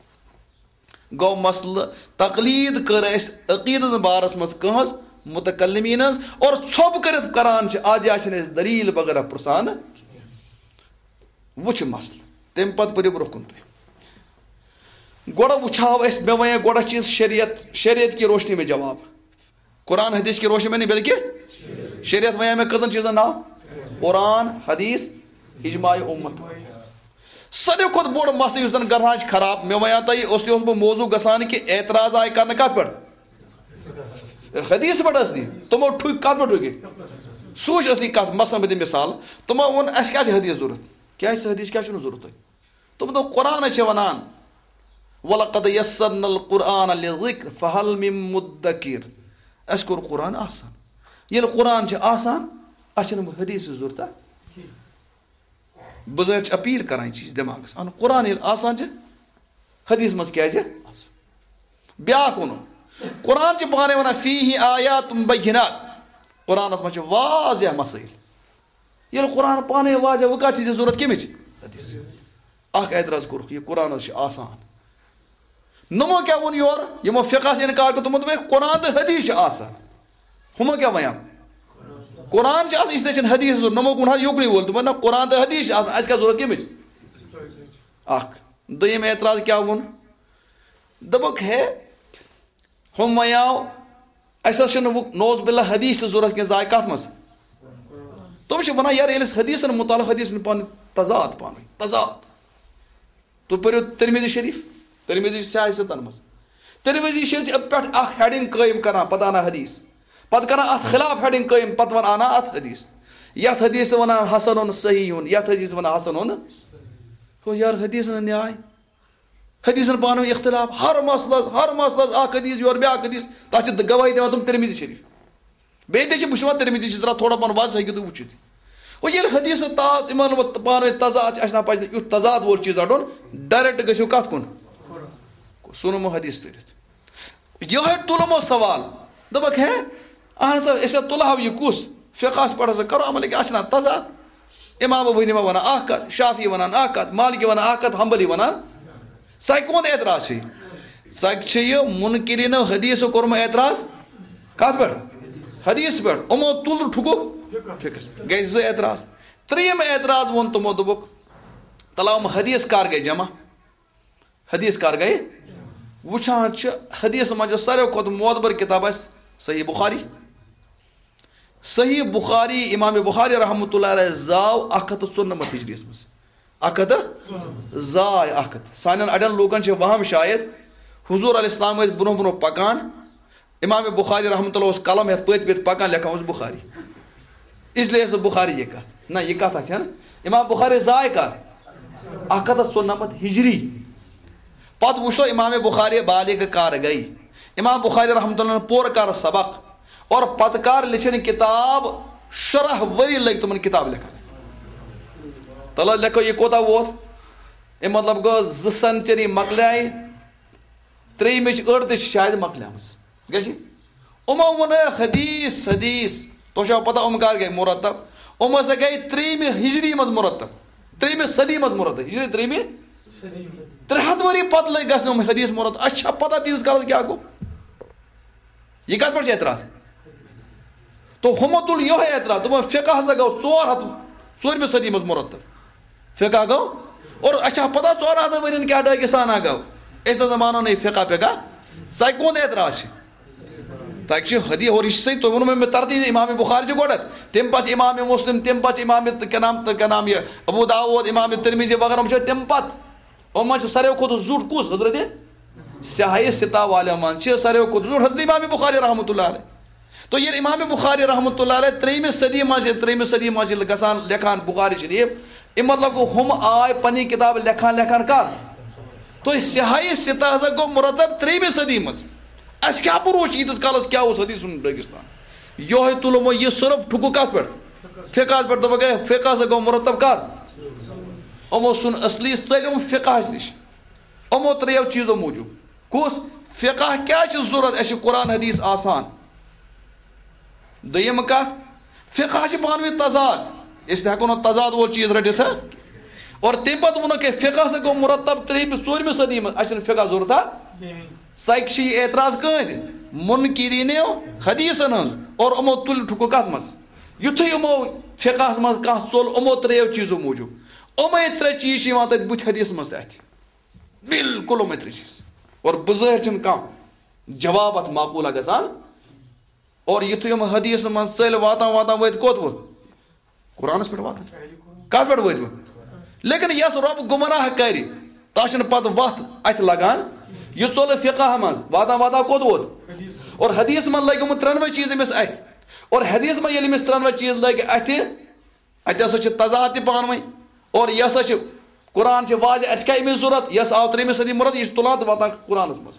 گوٚو مسلہٕ، تقلید کٔر اَسہِ عقیٖدٕ بارس منٛز کٕہٕنٛز؟ متکلمین ہٕنٛز۔ اور ژھۄپ کٔرِتھ کران چھِ، اتھ جایہِ چھِنہٕ أسۍ دلیٖل وغیرہ پرژھان۔ وٕچھ مسلہٕ، تمہِ پتہٕ پٔرِو برونٛہہ کُن تُہۍ۔ گۄڈٕ وٕچھاو أسۍ، مےٚ وَنے گۄڈٕ چیٖز شریعت، شریعت کی روشنی میں جواب۔ قرآن حدیث کی روشنی میں نہیں، بلکہ شریعت وَنے مےٚ کٔژَن چیٖزَن ناو؟ قرآن، حدیث، اجماع امت۔ ساروی کھۄتہٕ بوٚڑ مسلہٕ یُس زَن گژھان چھِ خراب، مےٚ وَنیو تۄہہِ، اوس، یہِ اوس بہٕ موضوع گژھان کہِ اعتراض آیہِ کرنہٕ کَتھ پٮ۪ٹھ؟ حدیث پٮ۪ٹھ ٲس نہٕ۔ تِمو ٹھُکۍ کَتھ پٮ۪ٹھ ٹھُکۍ؟ سُہ وٕچھ اصلی کَتھ۔ مثلاً بہٕ دِمہٕ مثال، تِمو ووٚن، اَسہِ کیٛازِ چھِ حدیث ضوٚرَتھ؟ کیٛازِ چھِ حدیث، کیٛازِ چھُنہٕ ضوٚرَتھ تۄہہِ؟ تِم دوٚپ، قرآنَس چھِ وَنان، "وَلَقَدْ يَسَّرْنَا الْقُرْآنَ لِلذِّكْرِ فَهَلْ مِن مُدَّكِرٍ"۔ اَسہِ کوٚر قرآن آسان۔ ییٚلہِ قرآن چھِ آسان، اَسہِ چھِنہٕ وۄنۍ حدیثٕچ ضوٚرتھا؟ بہٕ زَن چھِ اپیٖل کران یہِ چیٖز دٮ۪ماغَس۔ اَہَن، قرآن ییٚلہِ آسان چھِ، حدیث منٛز کیٛازِ؟ بیٛاکھ ووٚنُن، قرآن چھِ پانَے وَنان، "فِيهِ آيَاتٌ بَيِّنَاتٌ"۔ قرآنَس منٛز چھِ واضح مسٲیِل۔ ییٚلہِ قرآن پانَے واضح، وۄنۍ کَتھ چھِ ژےٚ ضوٚرَتھ کَمِچ؟ حدیث۔ اَکھ اعتراض کوٚرُکھ، یہِ قرآن حظ چھِ آسان۔ نوٚمو کیٛاہ ووٚن یورٕ؟ یِمو فقہَس اِنکار کوٚر، تِمو دوٚپ، "ہے، قرآن تہٕ حدیث چھِ آسان۔" ہُمو کیٛاہ وَنیو؟ قرآن چھِ آسان، اس لیے چھِنہٕ حدیث ضوٚرَتھ۔ نوٚمو ووٚن حظ یُکنُے وول، دوٚپُن، "نہ، قرآن تہٕ حدیث چھِ آسان، اَسہِ کیٛاہ ضوٚرَتھ کَمِچ؟" اَکھ۔ دوٚیِم اعتراض کیٛاہ ووٚن؟ دوٚپُکھ، ہے، ہُم وَنیو، اَسہِ حظ چھُنہٕ وۄنۍ نعوذ باللہ حدیث تہِ ضوٚرَتھ کینٛہہ، زایہِ کَتھ منٛز؟ تِم چھِ وَنان، یارٕ، ییٚلہِ أسۍ حدیثَن مُتعلِق، حدیثَن پانہٕ تضاد پانہٕ ؤنۍ، تضاد۔ تُہۍ پٔرِو ترمذی شریف، ترمذی چھِ سیاہ ستن منٛز۔ ترمذی چھِ پٮ۪ٹھ اَکھ heading قٲیِم کران، پَتہٕ اَنان حدیث، پَتہٕ کران اَتھ خلاف heading قٲیِم، پَتہٕ وَنان اَتھ حدیث۔ یتھ حدیث ونان حسن صحیح، یتھ حدیث ونان حسن۔ ہو یار، حدیثن نیاے، حدیثن پانہٕ ؤنۍ اختلاف، ہر مسلس، ہر مسلس اکھ حدیث یور، بیاکھ حدیث، تتھ چھِ گواہی دِوان تِم ترمذی شریف۔ بیٚیہِ تہِ چھِ، بہٕ چھُس وَنان، ترمذی چھِ ذرا تھوڑا پہن واضح، ہیٚکِو تُہۍ وٕچھِتھ۔ وۄنۍ ییٚلہِ حدیث تا-، یِمن وۄنۍ پانہٕ ؤنۍ تضاد چھِ، اَسہِ نہ پَزِ نہٕ یُتھ تضاد وول چیٖز رَٹُن، direct گٔژھِو کَتھ کُن؟ سُنمو حدیث تٔرِتھ۔ یِہوٚے تُلمو سوال، دوٚپُکھ، ہے، اَہن سا، أسۍ ہا تُلہٕ ہاو یہِ کُس؟ فقہَس پٮ۪ٹھ ہسا کَرو عمل، ییٚکیٛاہ اَتھ چھِنہ تضاد؟ امام ابو حنیفہ وَنان اَکھ کَتھ، شافعی وَنان اَکھ کَتھ، مالکی وَنان اَکھ کَتھ، حنبلی وَنان۔ سۄ کون اعتراض چھِ؟ سۄ چھِ یہِ منکرین حدیث کوٚرمُت اعتراض۔ کتھ پٮ۪ٹھ؟ حدیث پٮ۪ٹھ۔ یِمو تُل ٹھُکُکھ فقہس پٮ۪ٹھ۔ گٔے زٕ اعتراض۔ ترٛیٚیِم اعتراض ووٚن تِمو، دوٚپُکھ، تَلہٕ یِم حدیث کر گٔے جمع؟ حدیث کر گٔے؟ وٕچھان چھِ، حدیث منٛز یۄس ساروی کھۄتہٕ معتبر کتاب آسہِ، صحیح بخاری۔ صحیح بخاری، امام بخاری رحمۃ اللہ علیہ زاو اکھ ہتھ تہٕ ژُنمتھ ہجریَس منٛز۔ اکھ ہتھ تہٕ زاے اکھ ہتھ۔ سانٮ۪ن اڑٮ۪ن لوٗکن چھِ وہم شاید، حضور علیہ السلام ٲسۍ برونٛہہ برونٛہہ پکان، امام بخاری رحمۃ اللہ اوس قلم ہٮ۪تھ پٔتۍ پٔتۍ پکان، لیکھان اوس بخاری۔ اس لیے ٲس بخاری یہِ کتھ۔ نہ، یہِ کتھ چھنہٕ۔ امام بخاری زاے کر؟ اکھ ہتھ تہٕ ژُنمتھ ہجری۔ پتہٕ وٕچھتو امام بخاری بالغ کر گٔے، امام بخاری رحمۃ اللہ پوٚر کر سبق، اور پتہٕ کر لیٚچھِن کتاب، شُراہ ؤری لٔگۍ تِمن کتاب لیکھان۔ تلہٕ لیکھو، یہِ کوٗتاہ ووت؟ اَمہِ مطلب گوٚو، زٕ سینچری مۄکلیے، ترٛیٚیِمِچ أڑ تہِ چھِ شاید مۄکلیمٕژ۔ گژھِ؟ یِمو ووٚن حدیث، حدیث۔ تۄہہِ چھوا پتہ یِم کر گٔے مرتب؟ یِم ہسا گٔے ترٛیٚیِمہِ ہجری منٛز مرتب، ترٛیٚیِمہِ صدی منٛز مرتب، ہجری ترٛیٚیِمہِ۔ ترٛےٚ ہتھ ؤری پتہٕ لٔگۍ گژھنہِ یِم حدیث مرتب۔ اَسہِ چھا پتہ تیٖتِس کالس کیٛاہ گوٚو؟ یہِ کتھ پٮ۪ٹھ چھُ اعتراض؟ تو ہُمو تُل یِہوٚے اعتراض، دوٚپُن، فقہ ہسا گوٚو ژور ہتھ، ژوٗرمہِ صدی منٛز مرتب۔ فقہ گوٚو، اور اَسہِ چھا پتہ ژورن ہتن ؤرین کیٛاہ ڈٲکِستانا گوٚو؟ أسۍ نہ زمانو نہیں فقہ فقہ۔ ژےٚ کون اعتراض چھِ؟ تۄہہِ چھِ حدیث، اور یہِ چھِ صحیح، تۄہہِ ووٚنمو مےٚ ترتیٖب، امام بخاری چھِ گۄڈٕ، تمہِ پتہٕ چھِ امام مسلم، تمہِ پتہٕ چھِ امام تہٕ کیٛاہ نام، تہٕ کیٛاہ نام یہِ، ابو داوود، امام ترمذی وغیرہ، یِم چھِ تمہِ پتہٕ۔ یِمن منٛز چھِ ساروی کھۄتہٕ زیُٹھ کُس؟ حضرت سیاہی ستا والٮ۪و منٛز چھِ ساروی کھۄتہٕ زیُٹھ حضرت امام بخاری رحمۃ اللہ علیہ۔ تو ییٚلہِ امام بخاری رحمۃ اللہ علیہ ترٛیٚیِمہِ صدی منٛز چھِ، ترٛیٚیِمہِ صدی منٛز چھِ گژھان لیکھان بخاری شریف، اَمہِ مطلب گوٚو، ہُم آے پنٕنۍ کِتاب لیکھان لیکھان کر؟ تو سیاہی ستا ہسا گوٚو مرتب ترٛیٚیِمہِ صدی منٛز۔ اَسہِ کیٛاہ بروسہٕ چھُ ییٖتِس کالس کیٛاہ اوس حدیث سُنٛد ڈٲکِستان؟ یِہوٚے تُلمو یہِ صرف ٹھُکُکھ کتھ پٮ۪ٹھ؟ فقہس پٮ۪ٹھ۔ دوٚپُکھ، ہے، فقہ ہسا گوٚو مرتب کر؟ یِمو سُن اصلی ژٔلِم فقہس نِش۔ یِمو ترٛیٚیو چیٖزو موٗجوٗب۔ کُس؟ فقہ کیٛازِ چھُ ضروٗرت؟ اَسہِ چھُ قرآن حدیث آسان۔ دوٚیِم کتھ، فقہ چھِ پانہٕ ؤنۍ تضاد، أسۍ تہِ ہٮ۪کو نہٕ تضاد وول چیٖز رٔٹِتھ، ہا؟ اور تَمہِ پتہٕ ووٚنُکھ، ہے، فقہ ہسا گوٚو مرتب ترٛیٚیِمہِ، ژوٗرمہِ صدی منٛز، اَسہِ چھُنہٕ فقہ ضروٗرت، ہا؟ سایکہِ چھِ یہِ اعتراض کٕہٕنۍ تہِ، منکرینو حدیثن ہٕنٛز، اور یِمو تُلہِ ٹھُکُکھ کتھ منٛز؟ یُتھُے یِمو فقہس منٛز کانٛہہ ژوٚل، یِمو ترٛیٚیو چیٖزو موٗجوٗب، یِمے ترٛےٚ چیٖز چھِ یِوان تَتہِ بُتھِ حدیثس منٛز تہِ اَتھِ۔ بالکل یِمے ترٛےٚ چیٖز۔ اور بظٲہِر چھِنہٕ کانٛہہ جواب اَتھ معقوٗلہ گژھان۔ اور یُتھُے یِم حدیث منٛز ژٔلۍ واتان واتان وٲتۍ کوٚت وۄنۍ؟ قرآنس پٮ۪ٹھ واتان۔ کتھ پٮ۪ٹھ وٲتۍ وۄنۍ؟ لیکن یس رۄب گمراہ کرِ، تس چھنہٕ پتہٕ وتھ اتھِ لگان۔ یہِ ژوٚل فقہ منٛز، واتان واتان کوٚت ووت؟ اور حدیث منٛز لگۍ یِم ترٛٮ۪نوَے چیٖز أمِس اتھِ۔ اور حدیث منٛز ییٚلہِ أمِس ترٛٮ۪نوَے چیٖز لگۍ اتھِ، اتہِ ہسا چھِ تضاد تہِ پانہٕ ؤنۍ۔ اور یہِ ہسا چھِ، قرآن چھِ واضح، اسہِ کیٛاہ أمِس ضروٗرت؟ یس آو ترٛیٚیمہِ صدی مرتب، یہِ چھُ تُلان تہٕ واتان قرآنس منٛز۔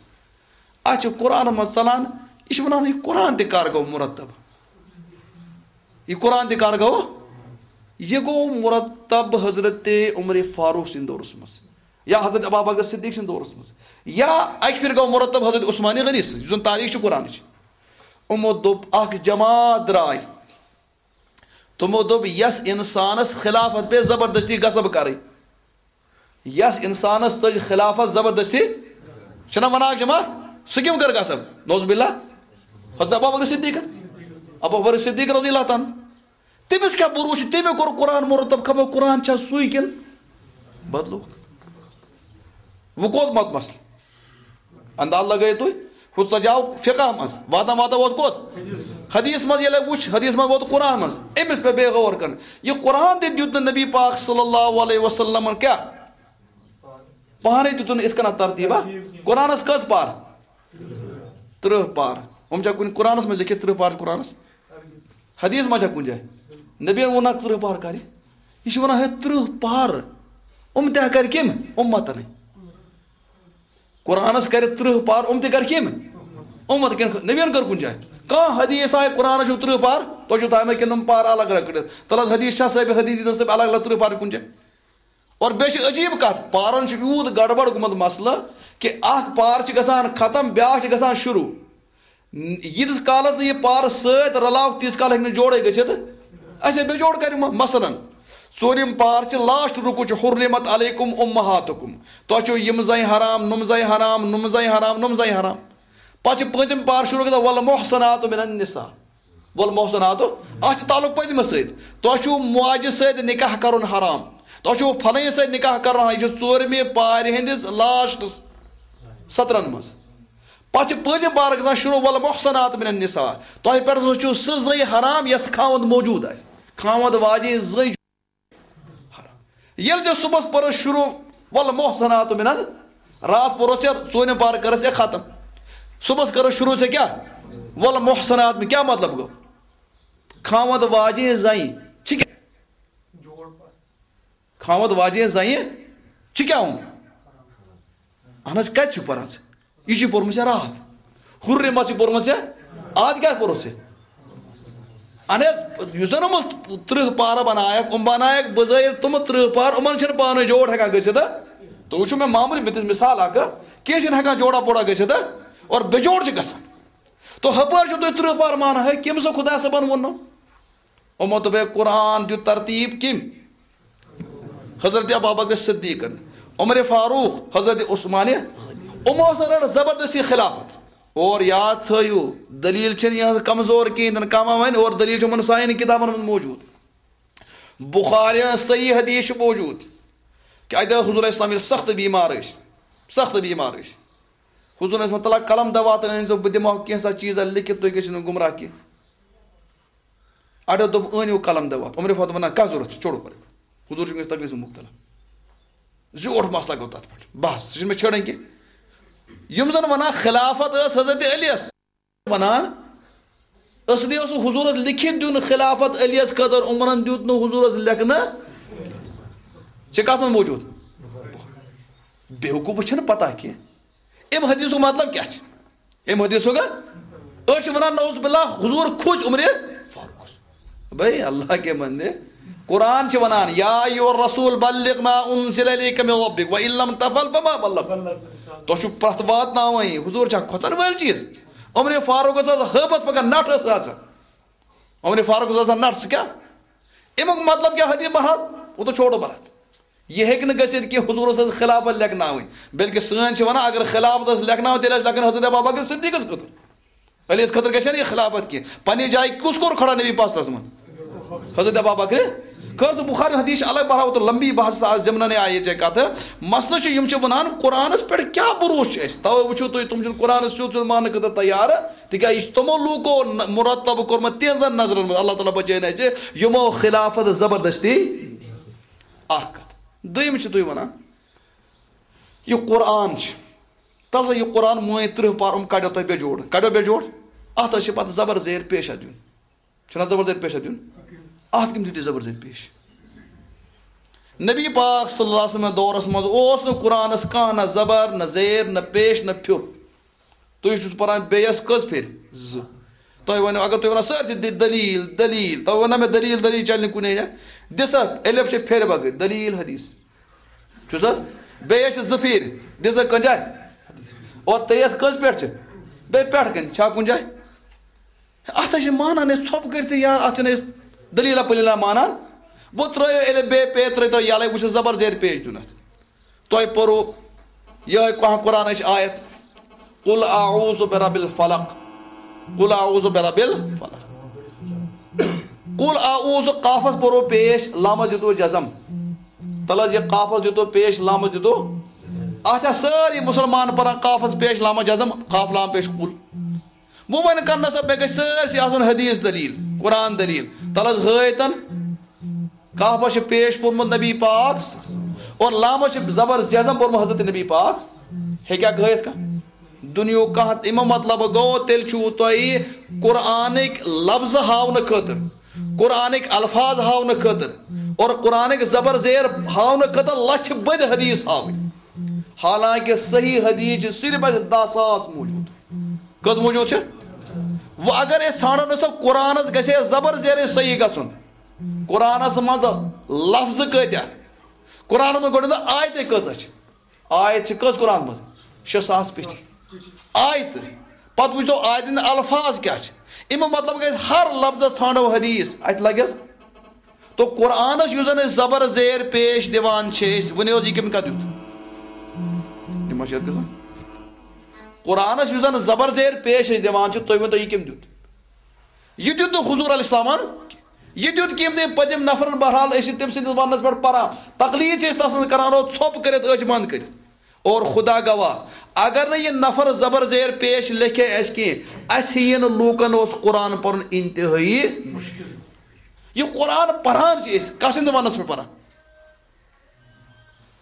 اَتھ چھُ قرآنَس منٛز ژَلان، یہِ چھُ وَنان، یہِ قرآن تہِ کَر گوٚو مُرتب؟ یہِ قرآن تہِ کَر گوٚو؟ یہِ گوٚو مُرتب حضرت عمر فاروق سٕنٛدِ دورَس منٛز، یا حضرت ابا بکر صدیق سٕنٛدِ دورَس منٛز، یا اَکہِ پھِرِ گوٚو مُرتب حضرت عثمان غنی سٕنٛز، یُس زَن تاریٖخ چھِ قرآنٕچ۔ یِمو دوٚپ، اَکھ جماعت درٛاے، تِمو دوٚپ، یَس اِنسانَس خلافت پے زبردستی غصب کَرٕنۍ، یس انسانس تج خلافت زبردستی، چھنا ونان اکھ جماعت، سُہ کٔمۍ کٔر غصب؟ نعوذ باللہ، حضرت ابو بکر صدیقن۔ ابو بکر صدیق رضی اللہ تعالیٰ عنہ، تٔمِس کیٛاہ بروسہٕ چھُ؟ تٔمۍ کوٚر قرآن مرتب، خبر قرآن چھا سُے کِنہٕ بدلوو؟ وۄنۍ کوٚت مت مسلہٕ؟ انداز لگٲیِو تُہۍ، ہُہ ژجاو فقہ منٛز، واتان واتان ووت کوٚت؟ حدیث منٛز۔ ییٚلہِ وُچھ، حدیث منٛز ووت قرآن منٛز، أمِس پٮ۪ٹھ بیٚیہِ غور کرُن۔ یہِ قرآن تہِ دیُت نہٕ نبی پاک صلی اللہ علیہ وسلمن کیٛاہ؟ پانَے دیُتُن یِتھ کٔنۍ ترتیٖبا۔ قرآنس کٔژ پار؟ ترٕٛہ پار۔ یِم چھا کُنہِ قرآنس منٛز لیکھِتھ ترٕٛہ پار قرآنس؟ حدیث ما چھا کُنہِ جایہِ؟ نبی ووٚن اکھ ترٕٛہ پار کرِ۔ یہِ چھُ وَنان ہے ترٕٛہ پار۔ یِم تہِ کرِ کٔمۍ؟ اُمتنٕے۔ قرآنس کرِ ترٕٛہ پار، یِم تہِ کرِ کٔمۍ؟ اُمت کٔمۍ؟ نبیَن کٔر کُنہِ جایہِ؟ کانٛہہ حدیث آیہِ قرآنس چھُ ترٕٛہ پار، تۄہہِ چھُو تھایمٕتۍ کِنہٕ یِم پار الگ الگ کٔڑِتھ؟ تَلہٕ حظ حدیث چھا صٲبہِ حدیث دیٖتن صٲبہِ الگ الگ ترٕٛہ پار کُنہِ جایہِ؟ اور بیٚیہِ چھِ عجیٖب کَتھ، پارَن چھُ یوٗت گڑبڑ گوٚمُت مسلہٕ کہِ اَکھ پار چھِ گژھان ختم، بیٛاکھ چھِ گژھان شروٗع۔ ییٖتِس کالَس نہٕ یہِ پار سۭتۍ رلاوکھ، تیٖتِس کال ہیٚکہِ نہٕ جوڑے گٔژھِتھ۔ اَسہِ ہے بے جوڑ کَرِ یِمو۔ مثلاً، ژوٗرِم پار چھِ لاسٹ رُکو چھُ، حرمت علیکم امہاتکم۔ تۄہہِ چھُو یِم زَنہِ حرام، نُم زَنہِ حرام، نُم زَنہِ حرام، نُم زَنہِ حرام۔ پَتہٕ چھِ پٲنٛژِم پار شروٗع گژھان، والمحصنات من النساء۔ والمحصنات، اَتھ چھُ تعلق پٔتمِس سۭتۍ۔ تۄہہِ چھُو ماجہِ سۭتۍ نکاح کرُن حرام۔ تۄہہِ چھُو فلٲنۍ سۭتۍ نکاح کرُن حرام۔ یہِ چھُ ژوٗرمہِ پارِ ہٕنٛدِس لاسٹس سطرن منٛز۔ پتہٕ چھِ پٲنٛژِم پارٕ گژھان شروٗع، والمحصنات من النساء۔ تۄہہِ پٮ۪ٹھ ہسا چھُو سُہ زٔنۍ حرام یۄس خاوند موجود آسہِ۔ خاوند واجیٚنۍ زٔنۍ ییٚلہِ ژےٚ صُبحس پٔرٕس شروٗع، والمحصنات من ال-، راتھ پوٚرُتھ ژےٚ ژوٗرِم پارٕ کٔرٕس ژےٚ ختم۔ صُبحس کٔرٕس شروٗع ژےٚ کیٛاہ؟ والمحصنات من، کیٛاہ مطلب گوٚو؟ خاوند واجیٚنۍ زنہِ چھِ کیٛاہ؟ خاوند واجیٚنۍ زنہِ چھِ کیٛاہ ووٚن؟ اہن حظ، کتہِ چھُ پران ژٕ؟ یہِ چھُ پوٚرمُت ژےٚ راتھ۔ حرمت چھُ پوٚرمُت ژےٚ؟ آز کیٛاہ پوٚرُتھ ژےٚ؟ اہن حظ، یُس زن یِمو ترٕٛہ پارٕ بنایکھ، یِم بنایکھ بظٲہر تِم ترٕٛہ پارٕ، یِمن چھِنہٕ پانہٕ جوڑ ہٮ۪کان گٔژھِتھ۔ تُہۍ وٕچھِو مےٚ معموٗلی بہٕ دِژ مثال اکھ، کینٛہہ چھِنہٕ ہٮ۪کان جوڑا پوڑا گٔژھِتھ اور بے جوڑ چھِ گژھان۔ تو ہپٲرۍ چھِو تُہۍ ترٕٛہ پارٕ مانان، ہے، کٔمۍ سا خۄدا صٲبن ووٚن نہٕ؟ یِمو دوٚپ، ہے، قرآن دیُت ترتیٖب کٔمۍ؟ حضرت ابابکر صدیقن، عمر فاروق، حضرت عثمان، یِمو ہسا رٔٹ زبردستی خلافت۔ اور یاد تھٲیِو، دلیل چھنہٕ یِہٕنٛز کمزور کِہیٖنۍ تہِ نہٕ، کانٛہہ ما وَنہِ، اور دلیل چھِ یِمن سانٮ۪ن کِتابن منٛز موجود۔ بخاری ہٕنٛز صحیح حدیث چھِ موجود کہ اَتہِ حضور علیہ السلام ییٚلہِ سخت بیمار ٲسۍ، سخت بیمار ٲسۍ، حضور علیہ السلام، تلا قلم دوا تہٕ أنۍزیو، بہٕ دِمہٕ ہاو کینٛژھا چیٖزا لیکھِتھ، تُہۍ گٔژھِو نہٕ گمراہ کینٛہہ۔ اَڑیو دوٚپ، "أنِو قلم دوا۔" عمر فاروق وَنان، "کَس ضوٚرَتھ چھُ؟ چھوڑو پَرٕ۔" حضور چھُ وٕنکیٚس تکلیٖفَس منٛز مُبتلا۔ زیوٗٹھ مسلہٕ گوٚو تَتھ پٮ۪ٹھ۔ بَس، سُہ چھُنہٕ مےٚ چھٲڑٕنۍ کینٛہہ۔ یِم زَن وَنان خلافت ٲس حضرت علیَس، وَنان، اصلی اوس حضورَس لیکھِتھ دیُن خلافت علیَس خٲطرٕ، عمرَن دیُت نہٕ حضورَس لیکھنہٕ۔ چھِ کَتھ منٛز موجود؟ بیوقوٗفَس چھَنہٕ پَتہ کینٛہہ۔ اَمہِ حدیثُک مطلب کیٛاہ چھُ؟ اَمہِ حدیثُک ہا؟ أسۍ چھِ وَنان، نعوذ باللہ، حضور کھوٗژ عمرِ فاروقَس۔ بھائی، اللہ کے بندے، قرآن چھِ وَنان، یا ایھا الرسول بلغ ما انزل الیک من ربک وان لم تفعل فما بلغت۔ تۄہہِ چھُو پرٛتھ واتناوٕنۍ، حضور چھا کھۄژَن وٲلۍ چیٖز؟ عمرِ فاروقَس ٲس ہٲبَتھ پَکان، نَٹھ ٲس آسان۔ عمرِ فاروقَس ٲس آسان نَٹھ، سُہ کیٛاہ؟ اَمیُک مطلب کیٛاہ؟ حدیث بہرحال، وہ تو چھوڑو بہرحال۔ یہِ ہیٚکہِ نہٕ گٔژھِتھ کہِ حضوٗرَس ٲس خلافت لیکھناوٕنۍ، بلکہِ سٲنۍ چھِ وَنان، اگر خلافت ٲس لیکھناوٕنۍ، تیٚلہِ ٲسۍ لیکھٕنۍ حضرت ابوبکر صدیقَس خٲطرٕ۔ علیَس خٲطرٕ گژھِ ہا نہٕ یہِ خلافت کینٛہہ۔ پننہِ جایہِ کُس کوٚر کھڑا نبی پاک صلی اللہ علیہ وسلمن؟ حضرت ابوبکر۔ کٲنٛسہِ بخاری حدیث چھِ الگ بہرحال، وہ تو لمبی بحث، آز زِمنہ نے آیے ژےٚ کتھٕ۔ مسلہٕ چھُ، یِم چھِ وَنان، قرآنَس پٮ۪ٹھ کیٛاہ بروسہٕ چھُ اَسہِ؟ تَوَے وٕچھِو تُہۍ، تِم چھِنہٕ قرآنَس سیوٚد سیوٚد ماننہٕ خٲطرٕ تیار، تِکیٛازِ یہِ چھُ تِمو لوٗکو نہ-، مرتب کوٚرمُت تِہنٛزن نظرن منٛز۔ اللہ تعالیٰ بچٲیِن اَسہِ، یِمو خلافت زبردستی۔ اکھ کتھ۔ دوٚیِم چھِ تُہۍ وَنان، یہِ قرآن چھُ، تَلہٕ سا یہِ قرآن مٲنۍ ترٕٛہ پار، یِم کَڑیو تۄہہِ بے جوڑ، کَڑیو بے جوڑ، اَتھ حظ چھِ پَتہٕ زبر زیر پیش اَتھ دیُن۔ چھُنہ زبر زیر پیش اَتھ دیُن؟ اَتھ کٔمۍ دیُت یہِ زبر زیر پیش؟ نبی پاک صلی اللہ علیہ وسلم دورس منٛز اوس نہٕ قرآنس کانٛہہ نہ زبر، نہ زیر، نہ پیش، نہ پھیُر۔ تُہۍ چھِو پران بیٚیَس کٔژ پھِرِ؟ زٕ۔ تۄہہِ وَنیو، اگر تُہۍ وَنان سٲرسٕے دِ-، دٔلیٖل، دٔلیٖل، تۄہہِ وَنو مےٚ دٔلیٖل، دٔلیٖل چَلہِ نہٕ کُنے جایہِ۔ دِ سا، الف چھِ پھِرِ بغٲر، دٔلیٖل حدیث۔ چھُس حظ؟ بیٚیہِ حظ چھِ زٕ پھِرِ۔ دِ سا کُنہِ جایہِ۔ اور تیٚیَس کٔژ پٮ۪ٹھ چھِ؟ بیٚیہِ پٮ۪ٹھ کَنہِ چھا کُنہِ جایہِ؟ اَتھ حظ چھِ مانان أسۍ ژھۄپہٕ کٔرِتھ تہِ یار، اَتھ چھِنہٕ أسۍ دٔلیٖلہ پٔلیٖلہ مانان۔ وۄنۍ ترٛٲیِو الف بے پے ترٛٲیتو یَلَے، وٕچھِو زبر زیر پیش دیُن اَتھ۔ تۄہہِ پوٚرُو یِہوٚے کانٛہہ قرآنٕچ آیت، "قل اعوذ برب الفلق، قل اعوذ برب الفلق۔" قل اعوذ، قافس پوٚرُو پیش، لامس دیُتوُ جزم۔ تَلہٕ حظ یہِ قافس دیُتوُ پیش، لامس دیُتوُ۔ اَتھ چھا سٲری مُسلمان پران قافس پیش، لامس جزم، قاف لام پیش، قل؟ وۄنۍ وۄنۍ کر نسا مےٚ گژھِ سٲرسٕے آسُن حدیث دلیل، قرآن دلیل۔ تَلہٕ حظ ہٲیتن۔ کافس چھُ پیش پوٚرمُت نبی پاک اور لامس چھُ زبر جزم پوٚرمُت حضرت نبی پاک۔ ہیٚکیٛاہ گٲیِتھ کانٛہہ؟ دُنیہُک کانٛہہ، اَمیُک مطلب گوٚو، تیٚلہِ چھُو تۄہہِ قرآنٕکۍ لفظہٕ ہاونہٕ خٲطرٕ، قرآنٕکۍ الفاظ ہاونہٕ خٲطرٕ اور قرآنٕکۍ زبر زیر ہاونہٕ خٲطرٕ لچھِ بٔدۍ حدیث ہاوٕنۍ، حالانکہ صحیح حدیث چھِ صرف اَسہِ دَہ ساس موجود۔ کٔژ موجود چھِ؟ وۄنۍ اگر أسۍ ژھانڈو نہ سا قرآنس گژھِ ہے زبر زیر صحیح گژھُن، قرآنس منٛز لفظ کۭتیاہ؟ قرآنس منٛز گۄڈٕنیتھ آیتہٕ کۭژاہ چھِ؟ آیت چھِ کٔژ قرآنس منٛز؟ شےٚ ساس پیٚٹھی آیتہٕ۔ پتہٕ وٕچھتو آیتن ہٕنٛدۍ الفاظ کیٛاہ چھِ۔ اَمیُک مطلب گژھِ ہر لفظس ژھانڈو حدیث، اتہِ لگٮ۪س۔ تو قرآنس یُس زن أسۍ زبر زیر پیش دِوان چھِ أسۍ، ؤنِو حظ، یہِ کٔمۍ کتھ دیُت؟ یہِ ما چھِ یتھ گژھان؟ قرآنس یُس زن زبر زیر پیش أسۍ دِوان چھِ، تُہۍ ؤنۍتو، یہِ کٔمۍ دیُت؟ یہِ دیُت نہٕ حضور علیہ السلامن۔ یہِ دیُت کٔمۍ؟ تٔمۍ پٔتِم نفرن۔ بہرحال، أسۍ چھِ تٔمۍ سٕنٛدِس وننس پٮ۪ٹھ پران، تقلید چھِ أسۍ تسٕنٛز کران، اور ژھۄپ کٔرِتھ، أچھ بنٛد کٔرِتھ۔ اور خدا گواہ، اگر نہٕ یہِ نفر زبر زیر پیش لیکھے اَسہِ کینٛہہ، اَسہِ یی نہٕ لوٗکن اوس قرآن پرُن انتہٲیی۔ یہِ قرآن پران چھِ أسۍ، کس سٕنٛدِ وننس پٮ۪ٹھ پران؟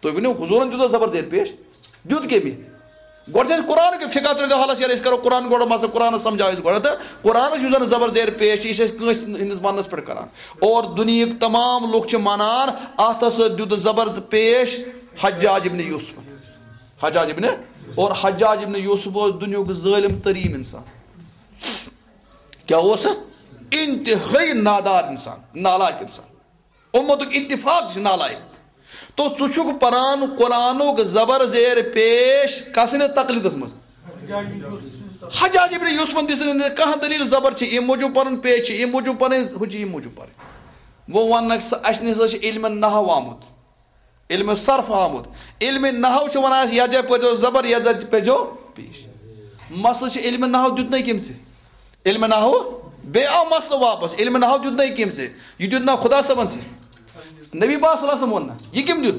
تُہۍ ؤنِو، حضوٗرن دیُت زبر زیر پیش؟ دیُت کٔمۍ؟ گۄڈٕ چھِ اَسہِ قرآن کہِ فقہ ترٛٲوِتھ حالس یَلہٕ، أسۍ کرو قرآن گۄڈٕ مسلہٕ، قرآنس سمجھاو أسۍ گۄڈٕ، تہٕ قرآنس یُس زن زبر زیر پیش چھِ، یہِ چھِ اَسہِ کٲنٛسہِ ہٕنٛدِس وننس پٮ۪ٹھ کران۔ اور دُنیہٕکۍ تمام لُکھ چھِ منان، اتھ ہسا دیُت زبر پیش حجاج ابن یوسف۔ حجاج ابن، اور حجاج ابن یوسف اوس دُنیہُک ظٲلم تریٖن انسان۔ کیٛاہ اوس؟ انتہٲیی نادار انسان، نالائق انسان۔ امتُک اتفاق چھُ نالائق۔ تو ژٕ چھُکھ پران قرآنُک زبر زیر پیش کس سٕنٛدِ تقلیدس منٛز؟ حجاج ابن یوسفن دِژ نہٕ کانٛہہ دلیل زبر چھِ اَمہِ موٗجوٗب پرُن، پیش چھِ اَمہِ موٗجوٗب پرٕنۍ، ہُہ چھُ اَمہِ موٗجوٗب پرٕنۍ۔ وۄنۍ وننکھ ژٕ، اسہِ نِش ہسا چھُ علم نحو آمُت، علم صرف آمُت۔ علم نحو چھُ ونان اَسہِ، یتھ جایہِ پٔرۍزیو زبر، یتھ جایہِ پٔرۍزیو پیش۔ مسلہٕ چھُ علم نحو دیُتنَے کٔمۍ ژےٚ؟ علم نحو، بیٚیہِ آو مسلہٕ واپس، علم نحو دیُتنَے کٔمۍ ژےٚ؟ یہِ دیُت نا خدا صٲبن ژےٚ؟ نبی پاک صلی اللہ علیہ وسلم ووٚن نا؟ یہِ کٔمۍ دیُت؟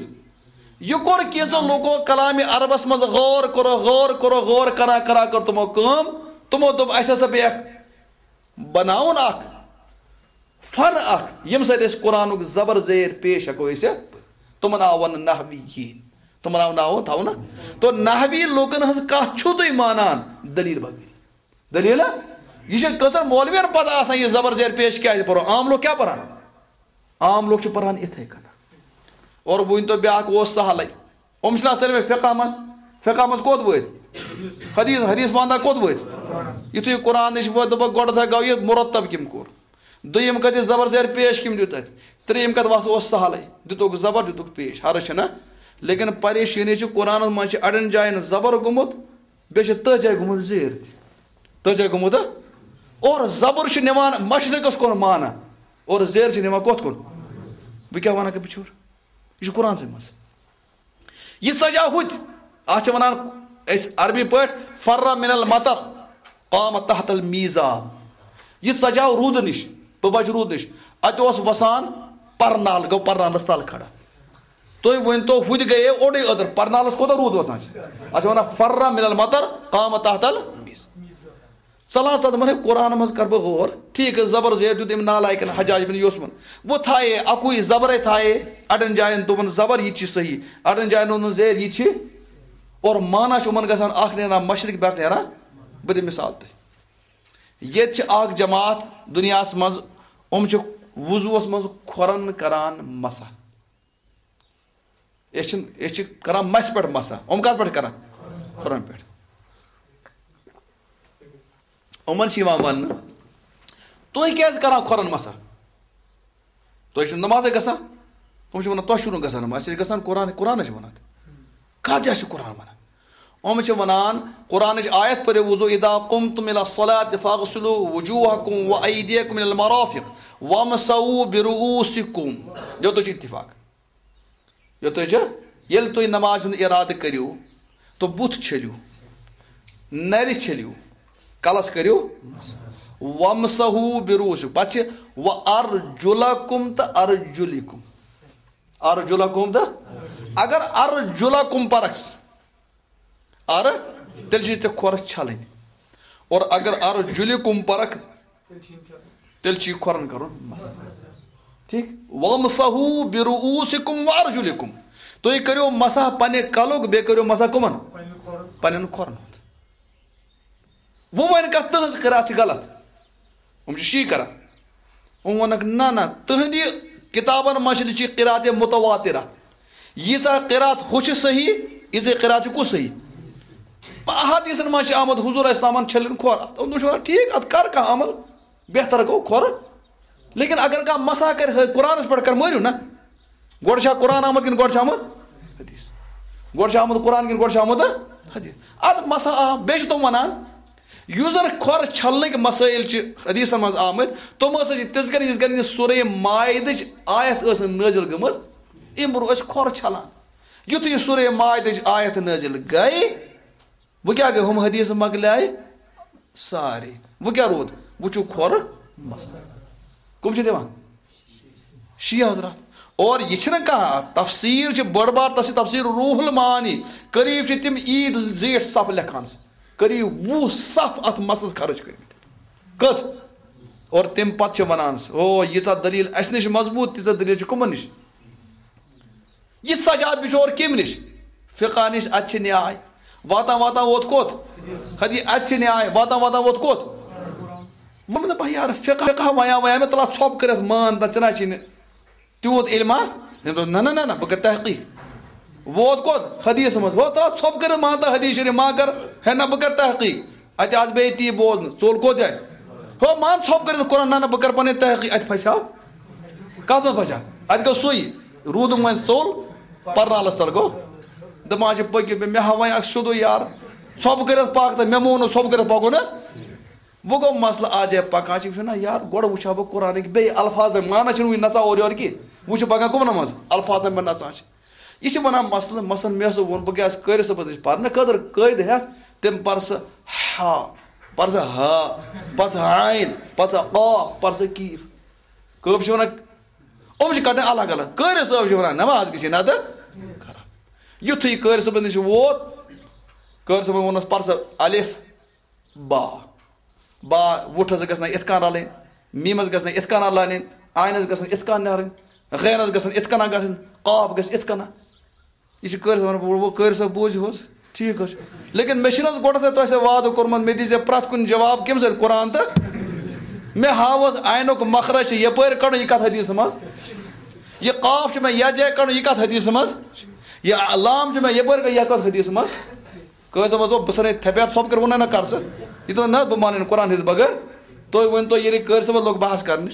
یہِ کوٚر کینٛژو لوٗکو کلامِ عربس منٛز غور کوٚر، غور کوٚر، غور کران کران کٔر تِمو کٲم، تِمو دوٚپ، اسہِ ہسا پیٚیہِ اکھ بناوُن اکھ فن اکھ، ییٚمہِ سۭتۍ أسۍ قرآنُک زبر زیر پیش ہٮ۪کو أسۍ۔ تِمن آو وننہٕ نحویین۔ تِمن آو ناو تھاونہٕ۔ تو نحوی لوٗکن ہٕنٛز کتھ چھِو تُہۍ مانان دلیل بغٲر؟ دلیل؟ یہِ چھِ کٔژن مولوین پتہ آسان یہِ زبر زیر پیش کیٛازِ پرو؟ عام لوٗکھ کیٛاہ پران؟ عام لوٗکھ چھِ پران اِتھے کٔنۍ۔ اور بہٕ ؤنۍ تو بیٛاکھ اوس سہلٕے۔ یِم چھِنہ سٲلِم فقہ منٛز، فقہ منٛز کوٚت وٲتۍ؟ حدیث، حدیث پانٛدہ کوٚت وٲتۍ؟ یُتھُے قرآنٕچ وٲتۍ، دوٚپُکھ، گۄڈٕ تھا گوٚو یہِ مرتب کٔمۍ کوٚر؟ دوٚیِم کَتھ، یہِ زبر زیر پیش کٔمۍ دیُت اَتہِ؟ ترٛیٚیِم کَتھ، وَس اوس سہلٕے، دِتُکھ زبر، دِتُکھ پیش، حرج چھِنہ؟ لیکن پریشٲنی چھِ، قرآنَس منٛز چھِ اَڑٮ۪ن جایَن زبر گوٚمُت، بیٚیہِ چھِ تٔتھۍ جایہِ گوٚمُت زیر تہِ۔ تٔتھۍ جایہِ گوٚمُت، ہہ؟ اور زبر چھُ نِوان مشرقَس کُن معنی، اور زیر چھِ نِوان کوٚت کُن؟ بہٕ کیٛاہ وَنان کہِ بِچور؟ یہِ چھُ قرآنسٕے منٛز۔ یہِ ژجاو ہُتہِ۔ اَتھ چھِ وَنان أسۍ عربی پٲٹھۍ، فر من المطر قام تحت المیزاب۔ یہِ ژجاو روٗدٕ نِش، بہٕ بچہٕ روٗدٕ نِش۔ اَتہِ اوس وَسان پرنال، گوٚو پرنالَس تَل کھڑا۔ تُہۍ ؤنۍ تو، ہُتہِ گٔیے اوٚڑُے أدٕر، پرنالَس کوٗتاہ روٗد وَسان چھِ؟ اَتھ چھِ وَنان فر من المطر قام تحت المیز۔ ژلان ژلان دپان، ہے، قرآن منٛز کر بہٕ غور، ٹھیٖک، زبر زیر دیُت أمۍ نالایکن حجاج بن یوسفن۔ وۄنۍ تھایے اکُے زبرے تھایے، اڑٮ۪ن جاین دوٚپُن زبر، یہِ تہِ چھِ صحیح، اڑٮ۪ن جاین دوٚپُن زیر، یہِ تہِ چھِ۔ اور معنی چھُ یِمن گژھان اکھ نیران مشرق، بیٛاکھ نیران۔ بہٕ دِمہٕ مثال تۄہہِ۔ ییٚتہِ چھِ اکھ جماعت دُنیاہس منٛز، یِم چھِ وضوٗہس منٛز کھۄرن کران مسح۔ أسۍ چھِنہٕ، أسۍ چھِ کران مسہِ پٮ۪ٹھ مسح۔ یِم کتھ پٮ۪ٹھ کران؟ کھۄرن پٮ۪ٹھ۔ یِمن چھِ یِوان وننہٕ، تُہۍ کیازِ کران کھۄرن مسح؟ تُہۍ چھِو نمازے گژھان؟ تِم چھِ ونان، تۄہہِ چھُو نہٕ گژھان نماز، اَسہِ چھِ گژھان قرآن، قرآن چھِ ونان۔ کتھ جایہِ چھُ قرآن ونان؟ یِم چھِ ونان، قرآنٕچ آیت پٔرِو، وضو، اذا قمتم الى الصلاة فاغسلوا وجوهكم وأيديكم الى المرافق وامسحوا برؤوسكم۔ یوتُے چھُ اتفاق۔ یوتُے چھُ، ییٚلہِ تُہۍ نماز ہُنٛد ارادٕ کٔرِو، تہٕ بُتھ چھٔلِو، نرِ چھٔلِو، کلس کٔرِو، وامسحوا برؤوسکم، پتہٕ چھِ وارجلکم تہٕ ارجلکم۔ ارجلکم تہٕ، اگر ارجلکم پرکھ، ار، تیٚلہِ چھِ ژےٚ کھۄر چھلٕنۍ۔ اور اگر ارجلکم پرکھ، تیٚلہِ چھِ یہِ کھۄرن کرُن مسح۔ ٹھیٖک؟ وامسحوا برؤوسکم وارجلکم۔ تُہۍ کٔرِو مسح پننہِ کلُک، بیٚیہِ کٔرِو مسح کٕمن؟ پننٮ۪ن کھۄرن ہُنٛد۔ وۄنۍ وَنہِ کانٛہہ تٕہٕنٛز قرات چھِ غلط۔ یِم چھِ شی کران۔ ووٚنُکھ، نہ، نہ، تُہٕنٛدِ کِتابَن منٛز چھِ لیٚچھِتھ قرات متواترہ۔ ییٖژاہ قرات ہُہ چھِ صحیح، ییٖژاہ قرات چھِ کُس صحیح؟ احادیثن منٛز چھِ آمُت حضور علیہ السلامن چھٔلِن کھۄر۔ اَتھ اوٚن، وٕچھ وَنان، ٹھیٖک، اَتھ کر کانٛہہ عمل، بہتر گوٚو کھۄر۔ لیکن اگر کانٛہہ مسح کرِ، ہے، قرآنس پٮ۪ٹھ کر، مٲرِو نہ۔ گۄڈٕ چھا قرآن آمُت کِنہٕ گۄڈٕ چھُ آمُت حدیث؟ گۄڈٕ چھُ آمُت قرآن کِنہٕ گۄڈٕ چھُ آمُت حدیث؟ اَدٕ مسح آو۔ بیٚیہِ چھِ تِم وَنان، یُس زَن کھۄر چھَلنٕکۍ مسٲیِل چھِ حدیثن منٛز آمٕتۍ، تِم ہسا چھِ تِژھ گرِ، یِژھ گرِ یہِ سورہ مائدٕچ آیت ٲس نہٕ نٲزِل گٔمٕژ، اَمہِ برٛونٛہہ ٲسۍ کھۄر چھَلان۔ یُتھُے یہِ سورہ مائدٕچ آیت نٲزِل گٔے، وۄنۍ کیٛاہ گٔے؟ ہُم حدیث مۄکلیے سارے۔ وۄنۍ کیٛاہ روٗد؟ وۄنۍ چھُ کھۄرٕ مسح۔ کٕم چھِ دِوان؟ شیعہ حضرات۔ اور یہِ چھِنہٕ کانٛہہ تفسیٖر، چھِ بٔڑ بار تفسیٖر، تفسیٖر روح المعانی۔ قریب چھِ تِم عیٖد زیٖٹھ صف لیکھان، قریب وُہ صف اَتھ مسحس خرٕچ کٔرمٕتۍ۔ کٔژ؟ اور تَمہِ پتہٕ چھِ وَنان، او، ییٖژاہ دٔلیٖل اَسہِ نِش مضبوٗط، تیٖژاہ دٔلیٖل چھِ کٕمَن نِش؟ یہِ سجاد بچور کمہِ نِش؟ فقہ نِش، اَتہِ چھِ نیاے۔ واتان واتان ووت کوٚت؟ حدیث۔ اَتہِ چھِ نیاے۔ واتان واتان ووت کوٚت؟ ووٚن مےٚ، دوٚپمَس، یارٕ، فقہ، فقہ ویا ویا مےٚ، تَلہ ژھۄپ کٔرِتھ مان، تَتھ چھِنہ چینہِ تیوٗت علما۔ أمۍ دوٚپ، نہ، نہ، نہ، نہ، بہٕ کَرٕ تحقیٖق۔ ووت کوٚت؟ حدیث منٛز۔ ہو، تَلہ ژھۄپ کٔرِتھ مان تہٕ حدیث شریف ما کَر، ہے نہ، بہٕ کَرٕ تحقیٖق۔ اَتہِ آسہٕ بیٚیہِ تی بوزنہٕ، ژوٚل کوٚت جایہِ؟ ہو، مان ژھۄپ کٔرِتھ قرآن، نہ، نہ، بہٕ کَرٕ پَنٕنۍ تحقیٖق۔ اَتہِ پھسیو۔ کَتھ منٛز پھسیو؟ اَتہِ گوٚو سُے۔ روٗدُم وۄنۍ ژوٚل، پَرنالَس تَل گوٚو۔ دَپان چھِ، پٔکِو، مےٚ ہاو وۄنۍ اَکھ سیوٚدُے یار۔ ژھۄپہٕ کٔرِتھ پَکھ تہٕ مےٚ مون نہٕ ژھۄپہٕ کٔرِتھ پَکُن نہ۔ وۄنۍ گوٚو مسلہٕ، اَتھ جایہِ پَکان چھِ، یہِ چھُنہ یار، گۄڈٕ وٕچھِ ہا بہٕ قرآنٕکۍ بیٚیہِ الفاظ، معنہ چھِنہٕ وٕنہِ نَژان اورٕ یورٕ کینٛہہ۔ وۄنۍ چھِ پَکان کٕمَن منٛز؟ الفاظن منٛز نَژان چھِ۔ یہِ چھِ وَنان مسلہٕ، مثلاً مےٚ ہسا ووٚن، بہٕ گٔیَس قٲرِ صٲبَس نِش پَرنہٕ خٲطرٕ، قٲیدٕ ہٮ۪تھ، تٔمۍ پَر سا ہا، پَر سا ہا، پَر سا عین، پَر سا قاف، پَر سا کیف۔ کٲفۍ چھِ وَنان، یِم چھِ کَڑٕنۍ الگ الگ۔ قٲرِ صٲب چھِ وَنان، نٮ۪ماز گژھِ نَتہٕ خراب۔ یُتھُے قٲرِ صٲبَس نِش ووت، قٲرِ صٲبَن ووٚنُس، پَر سا الف، با۔ با، وُٹھس گژھِ نہ یِتھ کٔنۍ رلٕنۍ، میٖمس گژھِ نہ یِتھ کٔنۍ رلٕنۍ، عینس گژھِ نہ یِتھ کٔنۍ نیرٕنۍ، غینس گژھِ نہ یِتھ کٔنۍ گژھٕنۍ، قاف گژھِ یِتھ کٔنۍ۔ یہِ چھِ قٲرۍ صٲبن، وۄنۍ قٲرۍ صٲب بوٗزِو حظ، ٹھیٖک حظ چھُ۔ لیکن مےٚ چھُنہٕ حظ گۄڈٕ تۄہہِ، تۄہہِ سۭتۍ وعدٕ کوٚرمُت، مےٚ دیٖزیو پرٛٮ۪تھ کُنہِ جواب کَمہِ سۭتۍ؟ قرآن تہٕ۔ مےٚ ہاو حظ عینُک مخرج چھُ یَپٲرۍ کَڑُن، یہِ کَتھ حدیث منٛز؟ یہِ قاف چھُ مےٚ یَتھ جایہِ کَڑُن، یہِ کَتھ حدیث منٛز؟ یہِ لام چھُ مےٚ یَپٲرۍ کَڑُن، یہِ کَتھ حدیث منٛز؟ قٲضۍ صٲبَس دوٚپ، بہٕ ژھٕنَے تھپٮ۪ر ژھۄپہٕ کٔرِتھ ووٚنُے نہ کر ژٕ۔ یہِ دوٚپ، نہ، بہٕ مانَے نہٕ قرآن ہِنٛدِ بغٲر۔ تُہۍ ؤنۍ تو، ییٚلہِ قٲضۍ صٲبَس لوٚگ بحث کرنہِ،